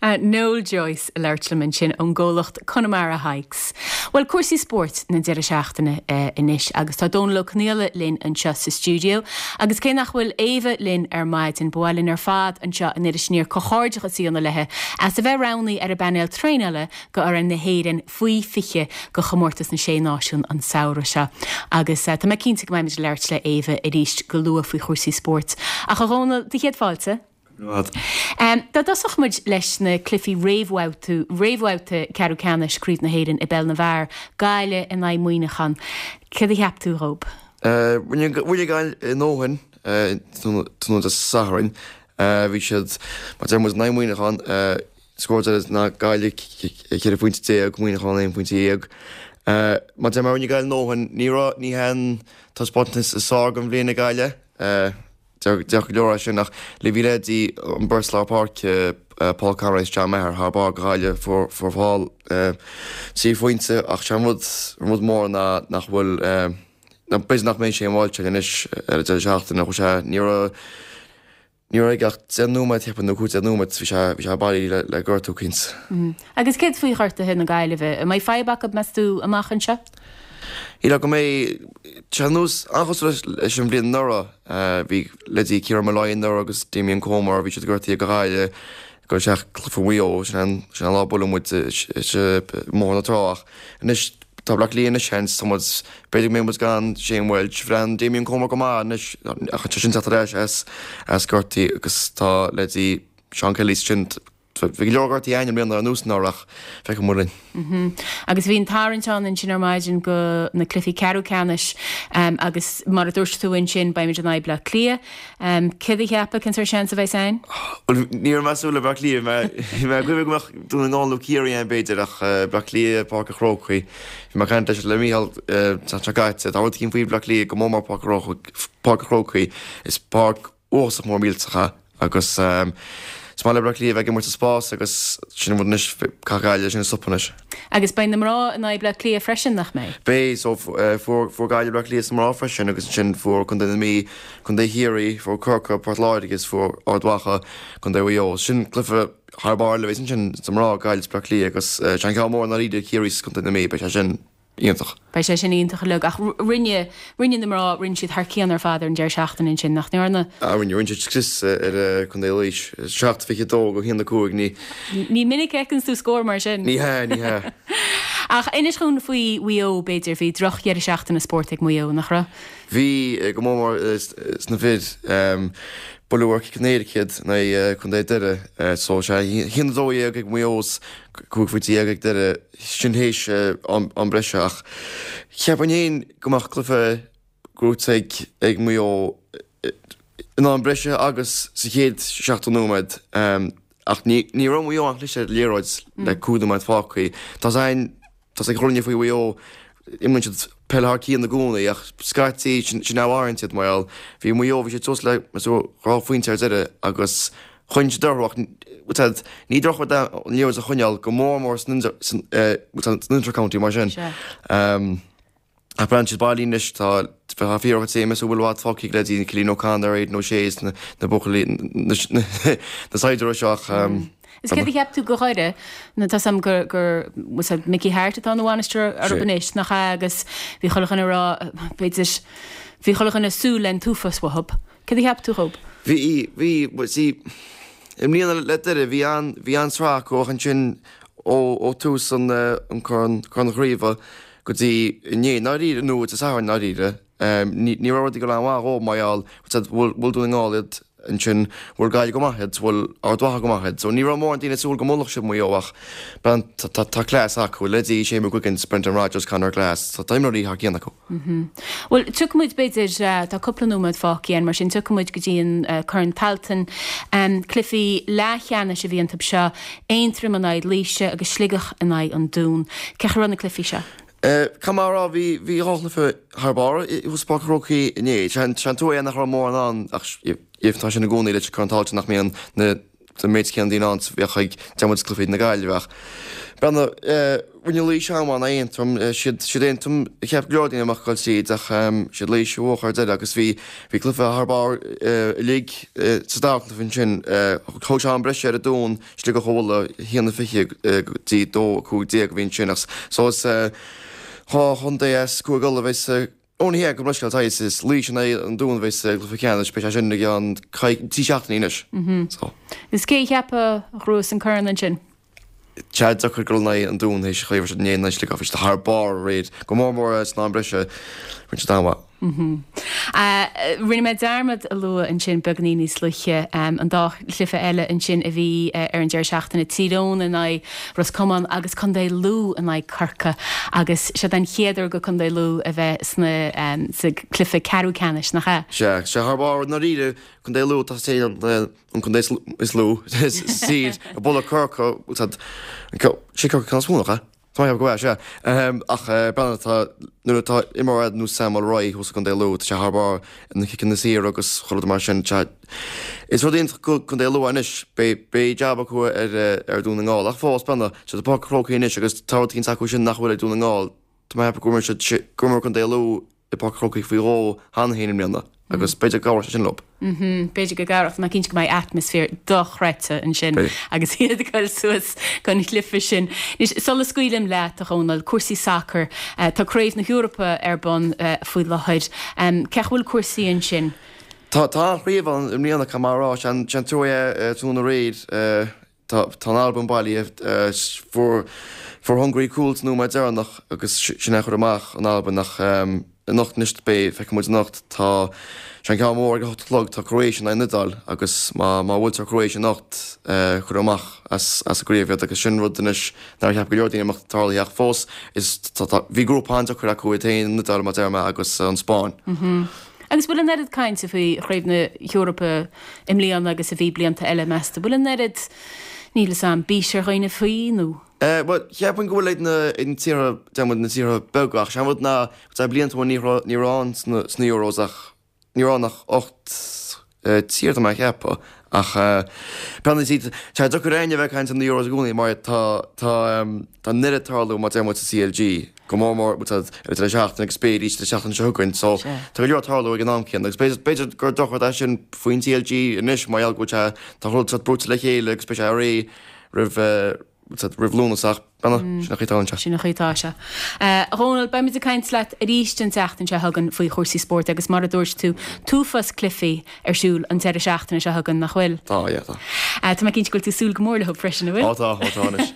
Noel Joyce ag labhairt liom ansin ón gcomhlacht Connemara Hikes. Bhuel, cúrsaí spóirt na deireadh seachtaine anois agus tá Dónal Ó Conaola linn anseo sa stiúideo agus cé nach bhfuil Éabha linn ar maidin, ba mhaith linn ar fad anseo in Iris Aniar comhghairdeachas a dhéanamh léi as a bheith roghnaithe ar an bpainéal traenála go fhoireann na hÉireann faoi fiche go Chomórtas na Sé Náisiún an samhradh seo agus tá mé cinnte go mbeimid ag labhairt le Éabha arís go luath faoi chúrsaí spóirt. Ach a Dhónaill, do chéad fáilte. Dá dtosódh muid leis na cluichí réamhbhabhta réamhbhabhta ceathrú ceannais Craobh na hÉireann i bpeil na bhfear, Gaillimh in aghaidh Muineachán, céard a cheap tú dhób? Rinne Gaillimh a ndóthain tráthnóna Dé Sathairn. Bhí siad, mar a deir muid, in aghaidh Muineachán, scór deiridh ná Gaillimh ceithre phointe déag, Muineachán aon phointe dhéag. Mar a deir mé, rinne Gaillimh a ndóthain. Ní raibh, ní hé an taispeántas is fearr den bhliain ag Gaillimh. Déarfadh go leor é sin ach le bhí leithéidí an bheirt lár páirce, Paul Conroy is John Maher thar barr do Ghaillimh, fuair fuair Paul trí phointe ach sé an rud an rud mór ná nach bhfuil ná b'fhéidir nach mbeidh Shane Walsh aige anois ar an deireadh seachtaine chuaigh sé ní raibh ní raibh aige ach deich nóiméad cheapfainn nó cúig déag nóiméad bhí sé bhí sé bailí le le gortú cinnte. Agus céard faoi ghortuithe na Gaillimhe? An mbeidh fadhb acu meas tú amach anseo? Shílfeá go mbeidh sé ar nós an-chosúil leis an bhliain anuraidh. Bhí leithéidí Ciarán Molloy anuraidh agus Damien Comer, bhí siad gortaithe do Ghaillimh ag dul isteach cluiche Mhaigh Eo, sin an sin an lá a buaileadh muid i mBóthar na Trá ach anois tá Bleá Cliath anois seans, tá muid, b'fhéidir go mbeidh muid gan Shane Walsh, bhreathnaigh Damien Comer go maith anois ach tá sé sin teacht ar ais as as gortaí agus tá leithéidí Seán Kelly sin Bhí go leor gortaithe againn i mbliana ar nós anuraidh ach feicfidh muid linn. Agus bhí an tarraingt ann ansin ar maidin go na cluichí ceathrú ceannais agus mar a dúirt tú ansin beimid in aghaidh Bleá Cliath. Céard a cheapfá, cén sórt seans a bheas againn? Bhuel ní raibh mé ag súil le Bleá Cliath, bhí mé ag cuimhneamh go mbeadh Dún na nGall nó Ciarraí ann b'fhéidir ach Bleá Cliath, Páirc an Chrócaigh. Bhí mé ag caint leis le Mícheál an tseachtain seo caite, tá rud eicínt faoi Bhleá Cliath go mór mór Páirc an Chrócaigh, is páirc uafásach mór millteach é agus is maith le Bleá Cliath a bheith ag imirt sa spás agus sin an rud anois, caithfidh Gaillimh sin a stopadh anois. Agus beidh na mná in aghaidh Bleá Cliath freisin, nach mbeidh? Beidh, so fuair fuair Gaillimh Bleá Cliath sna mná freisin agus ansin fuair Contae na Mí, Contae Chiarraí, fuair Corcaigh, Port Láirge agus fuair Ard Mhacha, Contae Mhaigh Eo. Sin cluiche thar barr eile a bheas ansin sna mná, Gaillimh is Bleá Cliath agus sé an ceann mór i ndáiríre Ciarraí is Contae na Mí, beidh sé sin. iontach. Beidh sé sin iontach uilig ach rinne, rinne na mná, rinne siad thar cionn ar fad ar an deireadh seachtaine ansin, nach ndearna? Ah rinne, rinne siad scrios ar Contae Laois, seacht fiche dó go haon a cúig, ní. Ní minic a fheiceanns tú scór mar sin. Ní hea, ní hea. Ach inis dhúinn faoi Mhaigh Eo, b'fhéidir, bhí droch dheireadh seachtaine spóirt ag Maigh Eo, nach raibh? Bhí, go mór mór sna fir. Buaileadh ar chic an éirice iad in aghaidh Contae Doire, so sé a haon a dó dhéag ag Maigh Eo is cúig phointe dhéag ag Doire. Sin théis am breise ach cheapfainn féin go mbeadh cluiche gnóite ag Maigh Eo in am breise agus sa chéad seachtó nóiméad ach ní raibh Maigh Eo an-chliste ar an liathróid le cúig nóiméad fágtha. Tá a fhios ag chuile dhuine faoi Mhaigh Eo, imríonn siad peil thar cionn i gcónaí ach scaití sin a mharaíonn siad mar gheall bhí Maigh Eo, bhí siad suas le dhá phointe ar deireadh agus Choinnigh siad orthu ach bhuel ní drochrud é an liathróid a choinneáil go mór mór san inter-county mar sin. Ach breathnaíonn siad bailí anois, tá tá fíor tséim is a bhfuil i bhfad fágtha ag leithéidí Cillian O'Connor, Aidan O'Shea is na buachaillí na saighdiúirí seo ach Is céard a cheap tú go Dhoire, nó tá 's a'm gur, gur, was it Mickey Harte atá ina bhainisteoir orthu anois, nach ea, agus bhí chuile dhuine ag rá, b'fhéidir, bhí chuile dhuine ag súil le an t-uafás uathub. Céard a cheap tú dhób? Bhí, bhí, bhuel, see, i mbliana le Doire, bhí an, bhí an-sraith acu ach ansin ó, ó tús an, an Corn, Corn na Craoibhe go dtí inné, i ndáiríre, nó Dé Sathairn i ndáiríre, ní, ní raibh rudaí ag dul an-mhaith dhóibh mar gheall, bhuail, bhuail Dún na nGall iad, Ansin, bhuail Gaillimh go maith iad, bhuail Ard Mhacha go maith iad. So ní raibh mórán daoine ag súil go mbuailfeadh siad Maigh Eo ach bean, tá, tá cleas acu, leithéidí Shane McGuigan, Brendan Rodgers, Conor Glass, tá, tá imreoirí thar cionn acu. Bhuel, tiocfaidh muid, b'fhéidir, tá cúpla nóiméad fágtha againn, mar sin tiocfaidh muid go dtí an Corn Tailteann. Cluichí leathcheannais a bhí iontu seo, Aontroim in aghaidh Laoise agus Sligeach in aghaidh an Dúin. Cén chaoi a raibh na cluichí seo? Caithfidh mé a rá, bhí, bhí dhá chluiche thar barr thuas i bPáirc an Chrócaigh inné. Sé an trua é nach raibh mórán ann ach tá sin i gcónaí leis an Corn Tailteann nach mbíonn na an méid céanna daoine ann is a bheadh ag deir muid cluichí na Gaillimhe ach breathnaigh, rinne Laois an-mhaith in aghaidh Aontroim, siad siad Aontroim a cheap go leor daoine a mbeadh ag dul tríd ach siad Laois a bhuaigh ar deireadh agus bhí bhí cluiche thar barr uilig sa dara cluiche ansin. Thóg sé am breise ar an Dún Sligeach a bhualadh, a haon a fiche go dtí dó a cúig déag a bhí ansin ach so is dhá chontae as Cúige Uladh a bheidh sa Ó ní hea, gabh mo leithscéal, tá is is Laois in aghaidh an Dúin a bheidh sa gcluiche ceannais, beidh sé sin i gceann trí seachtainí anois. So. Is cé a cheapfá a ghnóthós an corn ansin? Tá sé deacair dul in aghaidh an Dúin théis an chaoi a raibh siad inné in aghaidh Sligeach, bhí siad thar barr aréir, go mór mór san am breise, rinne siad an-mhaith. Rinne mé dearmad a lua ansin beagainín níos luaithe an dá chluiche eile ansin a bhí ar an deireadh seachtaine, Tír Eoghain in aghaidh Ros Comáin agus Contae Lú in aghaidh Corcaigh agus seo den chéad uair do Contae Lú a bheith sna sa cluiche ceathrú ceannais, nach ea? Sea, sea thar barr i ndáiríre, Contae Lú tá sé an contae is lú sa tír, ag bualadh Corcaigh, sé Corcaigh ceann is mó, nach ea? Tá mé ag ceapadh go bhfuil, sea. Ach breathnaigh, tá, nuair atá imreoir ar nós Sam Mulroy thuas i gContae Lú, tá sé thar barr na ciceanna saora agus chuile rud mar sin. Tá, is rud iontach do Chontae Lú anois, beidh, beidh jab acu ar, ar Dhún na nGall. Ach fós, breathnaigh, tá siad i bPáirc an Chrócaigh anois agus tá rud éicint acu sin nach bhfuil ag Dún na nGall. Tá mé ag ceapadh gur imir siad, gur imir Contae Lú i bPáirc an Chrócaigh faoi dhó cheana féin i mbliana agus b'fhéidir go gcabhróidh sé sin leo. B'fhéidir go gcabhródh. Tá mé cinnte go mbeidh atmaisféar dochreidte ansin agus iad ag dul suas don chluiche sin. Anois, sula scaoilim leat, a Dhónaill, cúrsaí sacair. Tá Craobh na hEorpa ar bun faoi láthair. Cén chaoi a bhfuil cúrsaí ansin? Tá an-chraobh ann i mbliana, caithfidh mé a rá. Sé an trua é tráthnóna aréir. Tá an Albain bailithe. Fuair fuair Hungary cúl sa nóiméad deireanach agus sin é a chuir amach an Albain ach anocht anois beidh, feicfidh muid anocht, tá sé an ceann mór ag a hocht a chlog, tá Croatia in aghaidh an Iodáil agus má má bhuailtear Croatia anocht cuirfear amach as as an gcraobh iad agus sin rud anois nár cheap go leor daoine a mbeadh tarlaithe ach fós is tá tá bhí grúpa an-deacair acu iad féin an Iodáil mar a deir mé agus an Spáinn. Agus bhfuil an oiread cainte faoi Chraobh na hEorpa i mbliana agus a bhí blianta eile, meas tú? Bhfuil an oiread, níl 'fhios a'm, bís ar dhaoine faoi nó? Bhuel, cheapfainn go bhfuil ag na, ag na tíortha, deir muid na tíortha beaga, ach sé an rud ná, tá blianta ó ní raibh, ní raibh ann sna, sna Euros ach, ní raibh ann ach ocht tír tá mé a cheapadh. Ach breathnaigh, tá sé deacair éinne a bheith ag caint ar na Euros i gcónaí mar tá, tá, tá an oiread ag tarlú mar deir muid sa CLG, go mór mór ar an deireadh seachtaine agus b'fhéidir arís an tseachtain seo chugainn. So tá go leor ag tarlú ag an am céanna agus b'fhéidir, b'fhéidir gur drochrud é sin faoin CLG anois mar gheall go bhfuil sé, tá rud sórt brúite le chéile agus beidh sé réidh roimh, roimh Lúnasa ach breathnaigh, sin an chaoi atá sé. Sin an chaoi atá sé. A Dhónaill, beimid ag caint leat arís an tseachtain seo chugainn faoi chúrsaí spóirt agus mar a dúirt tú, t-uafás cluichí ar siúl an deireadh seachtaine seo chugainn, nach bhfuil? Tá, yeah, tá. Tá mé cinnte go bhfuil tú ag súil go mór leo freisin, an bhfuil? Ó tá, ó tá anois.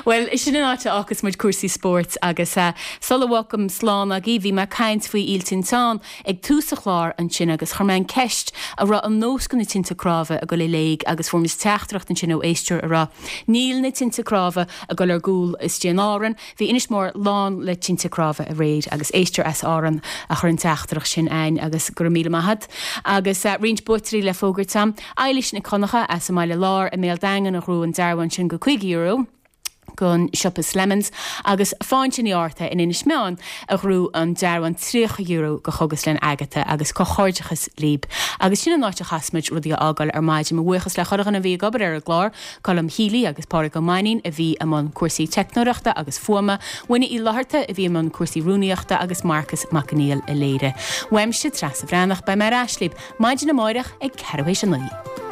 Bhuel, sin an áit a fhágfas muid cúrsaí spóirt agus sula bhfágaim slán agaibh, bhí mé ag caint faoi Fhíl Tinteán ag tús an chláir ansin agus chuir mé an ceist an raibh an nós go na tinte cnámha ag dul i léig agus fuair muid teachtaireacht ansin ó éisteoir a rá níl na tinte cnámha ag dul ar gcúl istigh in Árainn, bhí Inis Mór lán le tinte cnámha aréir agus éisteoir as Árainn a chuir an teachtaireacht sin a'ainn agus go raibh míle maith a'd. Agus roinnt buaiteoirí le fógairt a'm, Eilís Nic Dhonncha as an mBaile Láir i mBéal Daingean a ghnóthaigh an dearbhán sin go caoga euro. gon siopa Slemons agus Fáinte Ní Fhátharta in Inis Meáin a ghnóthaigh an dearbhán tríocha euro go Chógaslann Agatha agus comhghairdeachas libh. Agus sin an áit a chaithfeas muid rudaí a fhágáil ar maidin. Mo bhuíochas le chuile dhuine a bhí ag obair ar an gclár, Colm Healy agus Pádraig Ó Mainnín a bhí i mbun cúrsaí teicneoireachta agus fuaime, Winnie Uí Fhlatharta a bhí i mbun cúrsaí rúnaíochta agus Marcus Mac Conghail a léirigh. Uaimse, Treasa Bhreathnach, beidh mé ar ais libh maidin amáireach ag ceathrú théis a naoi.